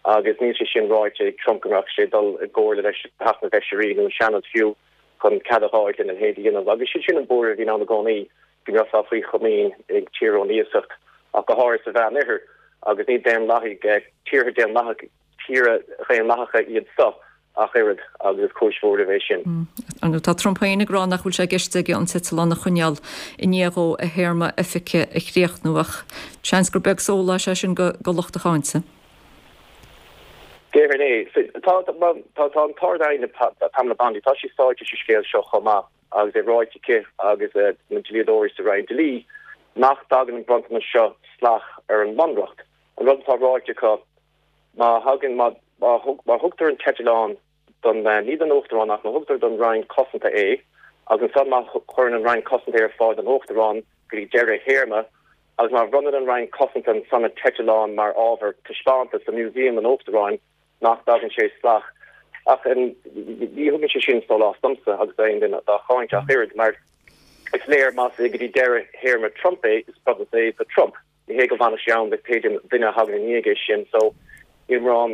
agus níl sé sin ráite ag Trump go mbeadh sé ag dul i gcomhairle leis Theach na bhFeisirí nó an Seanad fiú chun cead a fháil lena leithéid a dhéanamh. Agus sin sin an buaireamh a bhíonn ann i gcónaí, go mbeifeá faoi chomaoin ag tír ón iasacht, ach go háirithe sa Mheánoirthear, agus ní daonlathaigh, tíortha daonlathacha, tíortha daonlathacha iad seo ach oiread, agus is cúis bhuairimh é sin. Ar ndóigh, tá Trump féin ag rá nach bhfuil sé i gceist aige an t-eitleán a choinneáil i ndiaidh dhó a théarma oifige a chríochnú, ach seans gur beag sólás é sin do lucht a cháinte. Déarfainn é. Tá tá an tArd-Aighne Pamela Bondi, tá sí sáite sa scéal seo chomh maith agus é ráite aici agus na dlíodóirí sa Roinn Dlí nach dtagann an bronntanas seo salach ar an mBunreacht. An rud atá ráite acu, Má thagann, má, má thugtar an t-eitleán don, ní don Uachtarán ach má thugtar don Roinn Cosanta é agus ansan má chuireann an Roinn Cosanta é ar fáil don Uachtarán go dtí deireadh a théarma agus má bhronnann an Roinn Cosanta ansan an t-eitleán mar ábhar taispeántais do Mhúsaem an Uachtaráin nach dtagann sé salach. Ach ní thugann sé sin sólás domsa agus d'aon duine dá cháint ach oiread mar is léir más é go dtí deireadh théarma Trump é is bronntanas é do Trump. Ní hé go bhfanfaidh sé ann do pé duine a thagann i ndiaidh é sin so níl mórán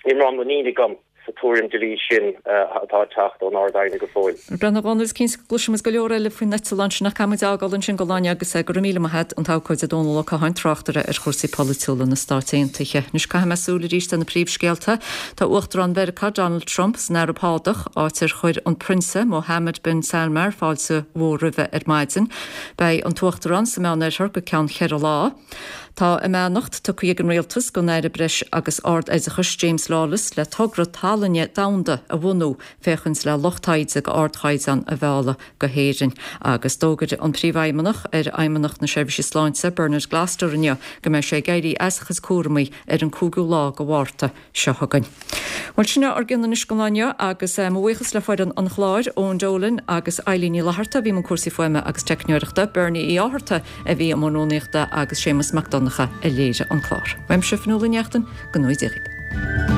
níl mórán muinín agam sa tuairim dlí sin atá ag teacht ón Ard-Aighne go fóill. Bhuel a Dhónaill, is cinnte go gcloisfimid go leor eile faoin eitleán sin ach caithfimid é a fhágáil ansin don lá inniu agus go raibh míle maith agat, an t-abhcóide Dónal Ó Catháin, tráchtaire ar chúrsaí polaitiúla na Stáit Aontaithe. Anois caithfidh mé súil arís ar na príomhscéalta. Tá Uachtarán Mheiriceá Donald Trump san Araib Shádach, áit ar chuir an Prionsa Mohammed bin Salmar fáilte mhór roimhe ar maidin. Beidh an tUachtarán sa Meánoirthear go ceann cheithre lá. Tá a mbeannacht tugtha ag an Rialtas don Aire Breis agus Ard-Oideachais James Lawless le togra tallainne domhanda a bhunú féachaint le lucht taighde d'ardchaighdeán a mhealladh go hÉirinn. Agus d'fhógair an Príomhfheidhmeannach ar Fheidhmeannacht na Seirbhíse Sláinte, Bernard Gloster inniu go mbeidh sé ag éirí as a chuid cúramaí ar an cúigiú lá de Mhárta seo chugainn. Bhuel, sin é ár gcionn anois don lá inniu agus mo bhuíochas le foireann an chláir, Eoin Dolan agus Eilín Ní Fhlatharta a bhí i mbun cúrsaí fuaime agus teicneoireachta, Bernie Uí Fhátharta a bhí i mbun rúnaíochta agus Séamus Mac Donncha a léirigh an clár. Uaimse, Fionnuala Ní Neachtain, go ngnóthaí Dia dhaoibh.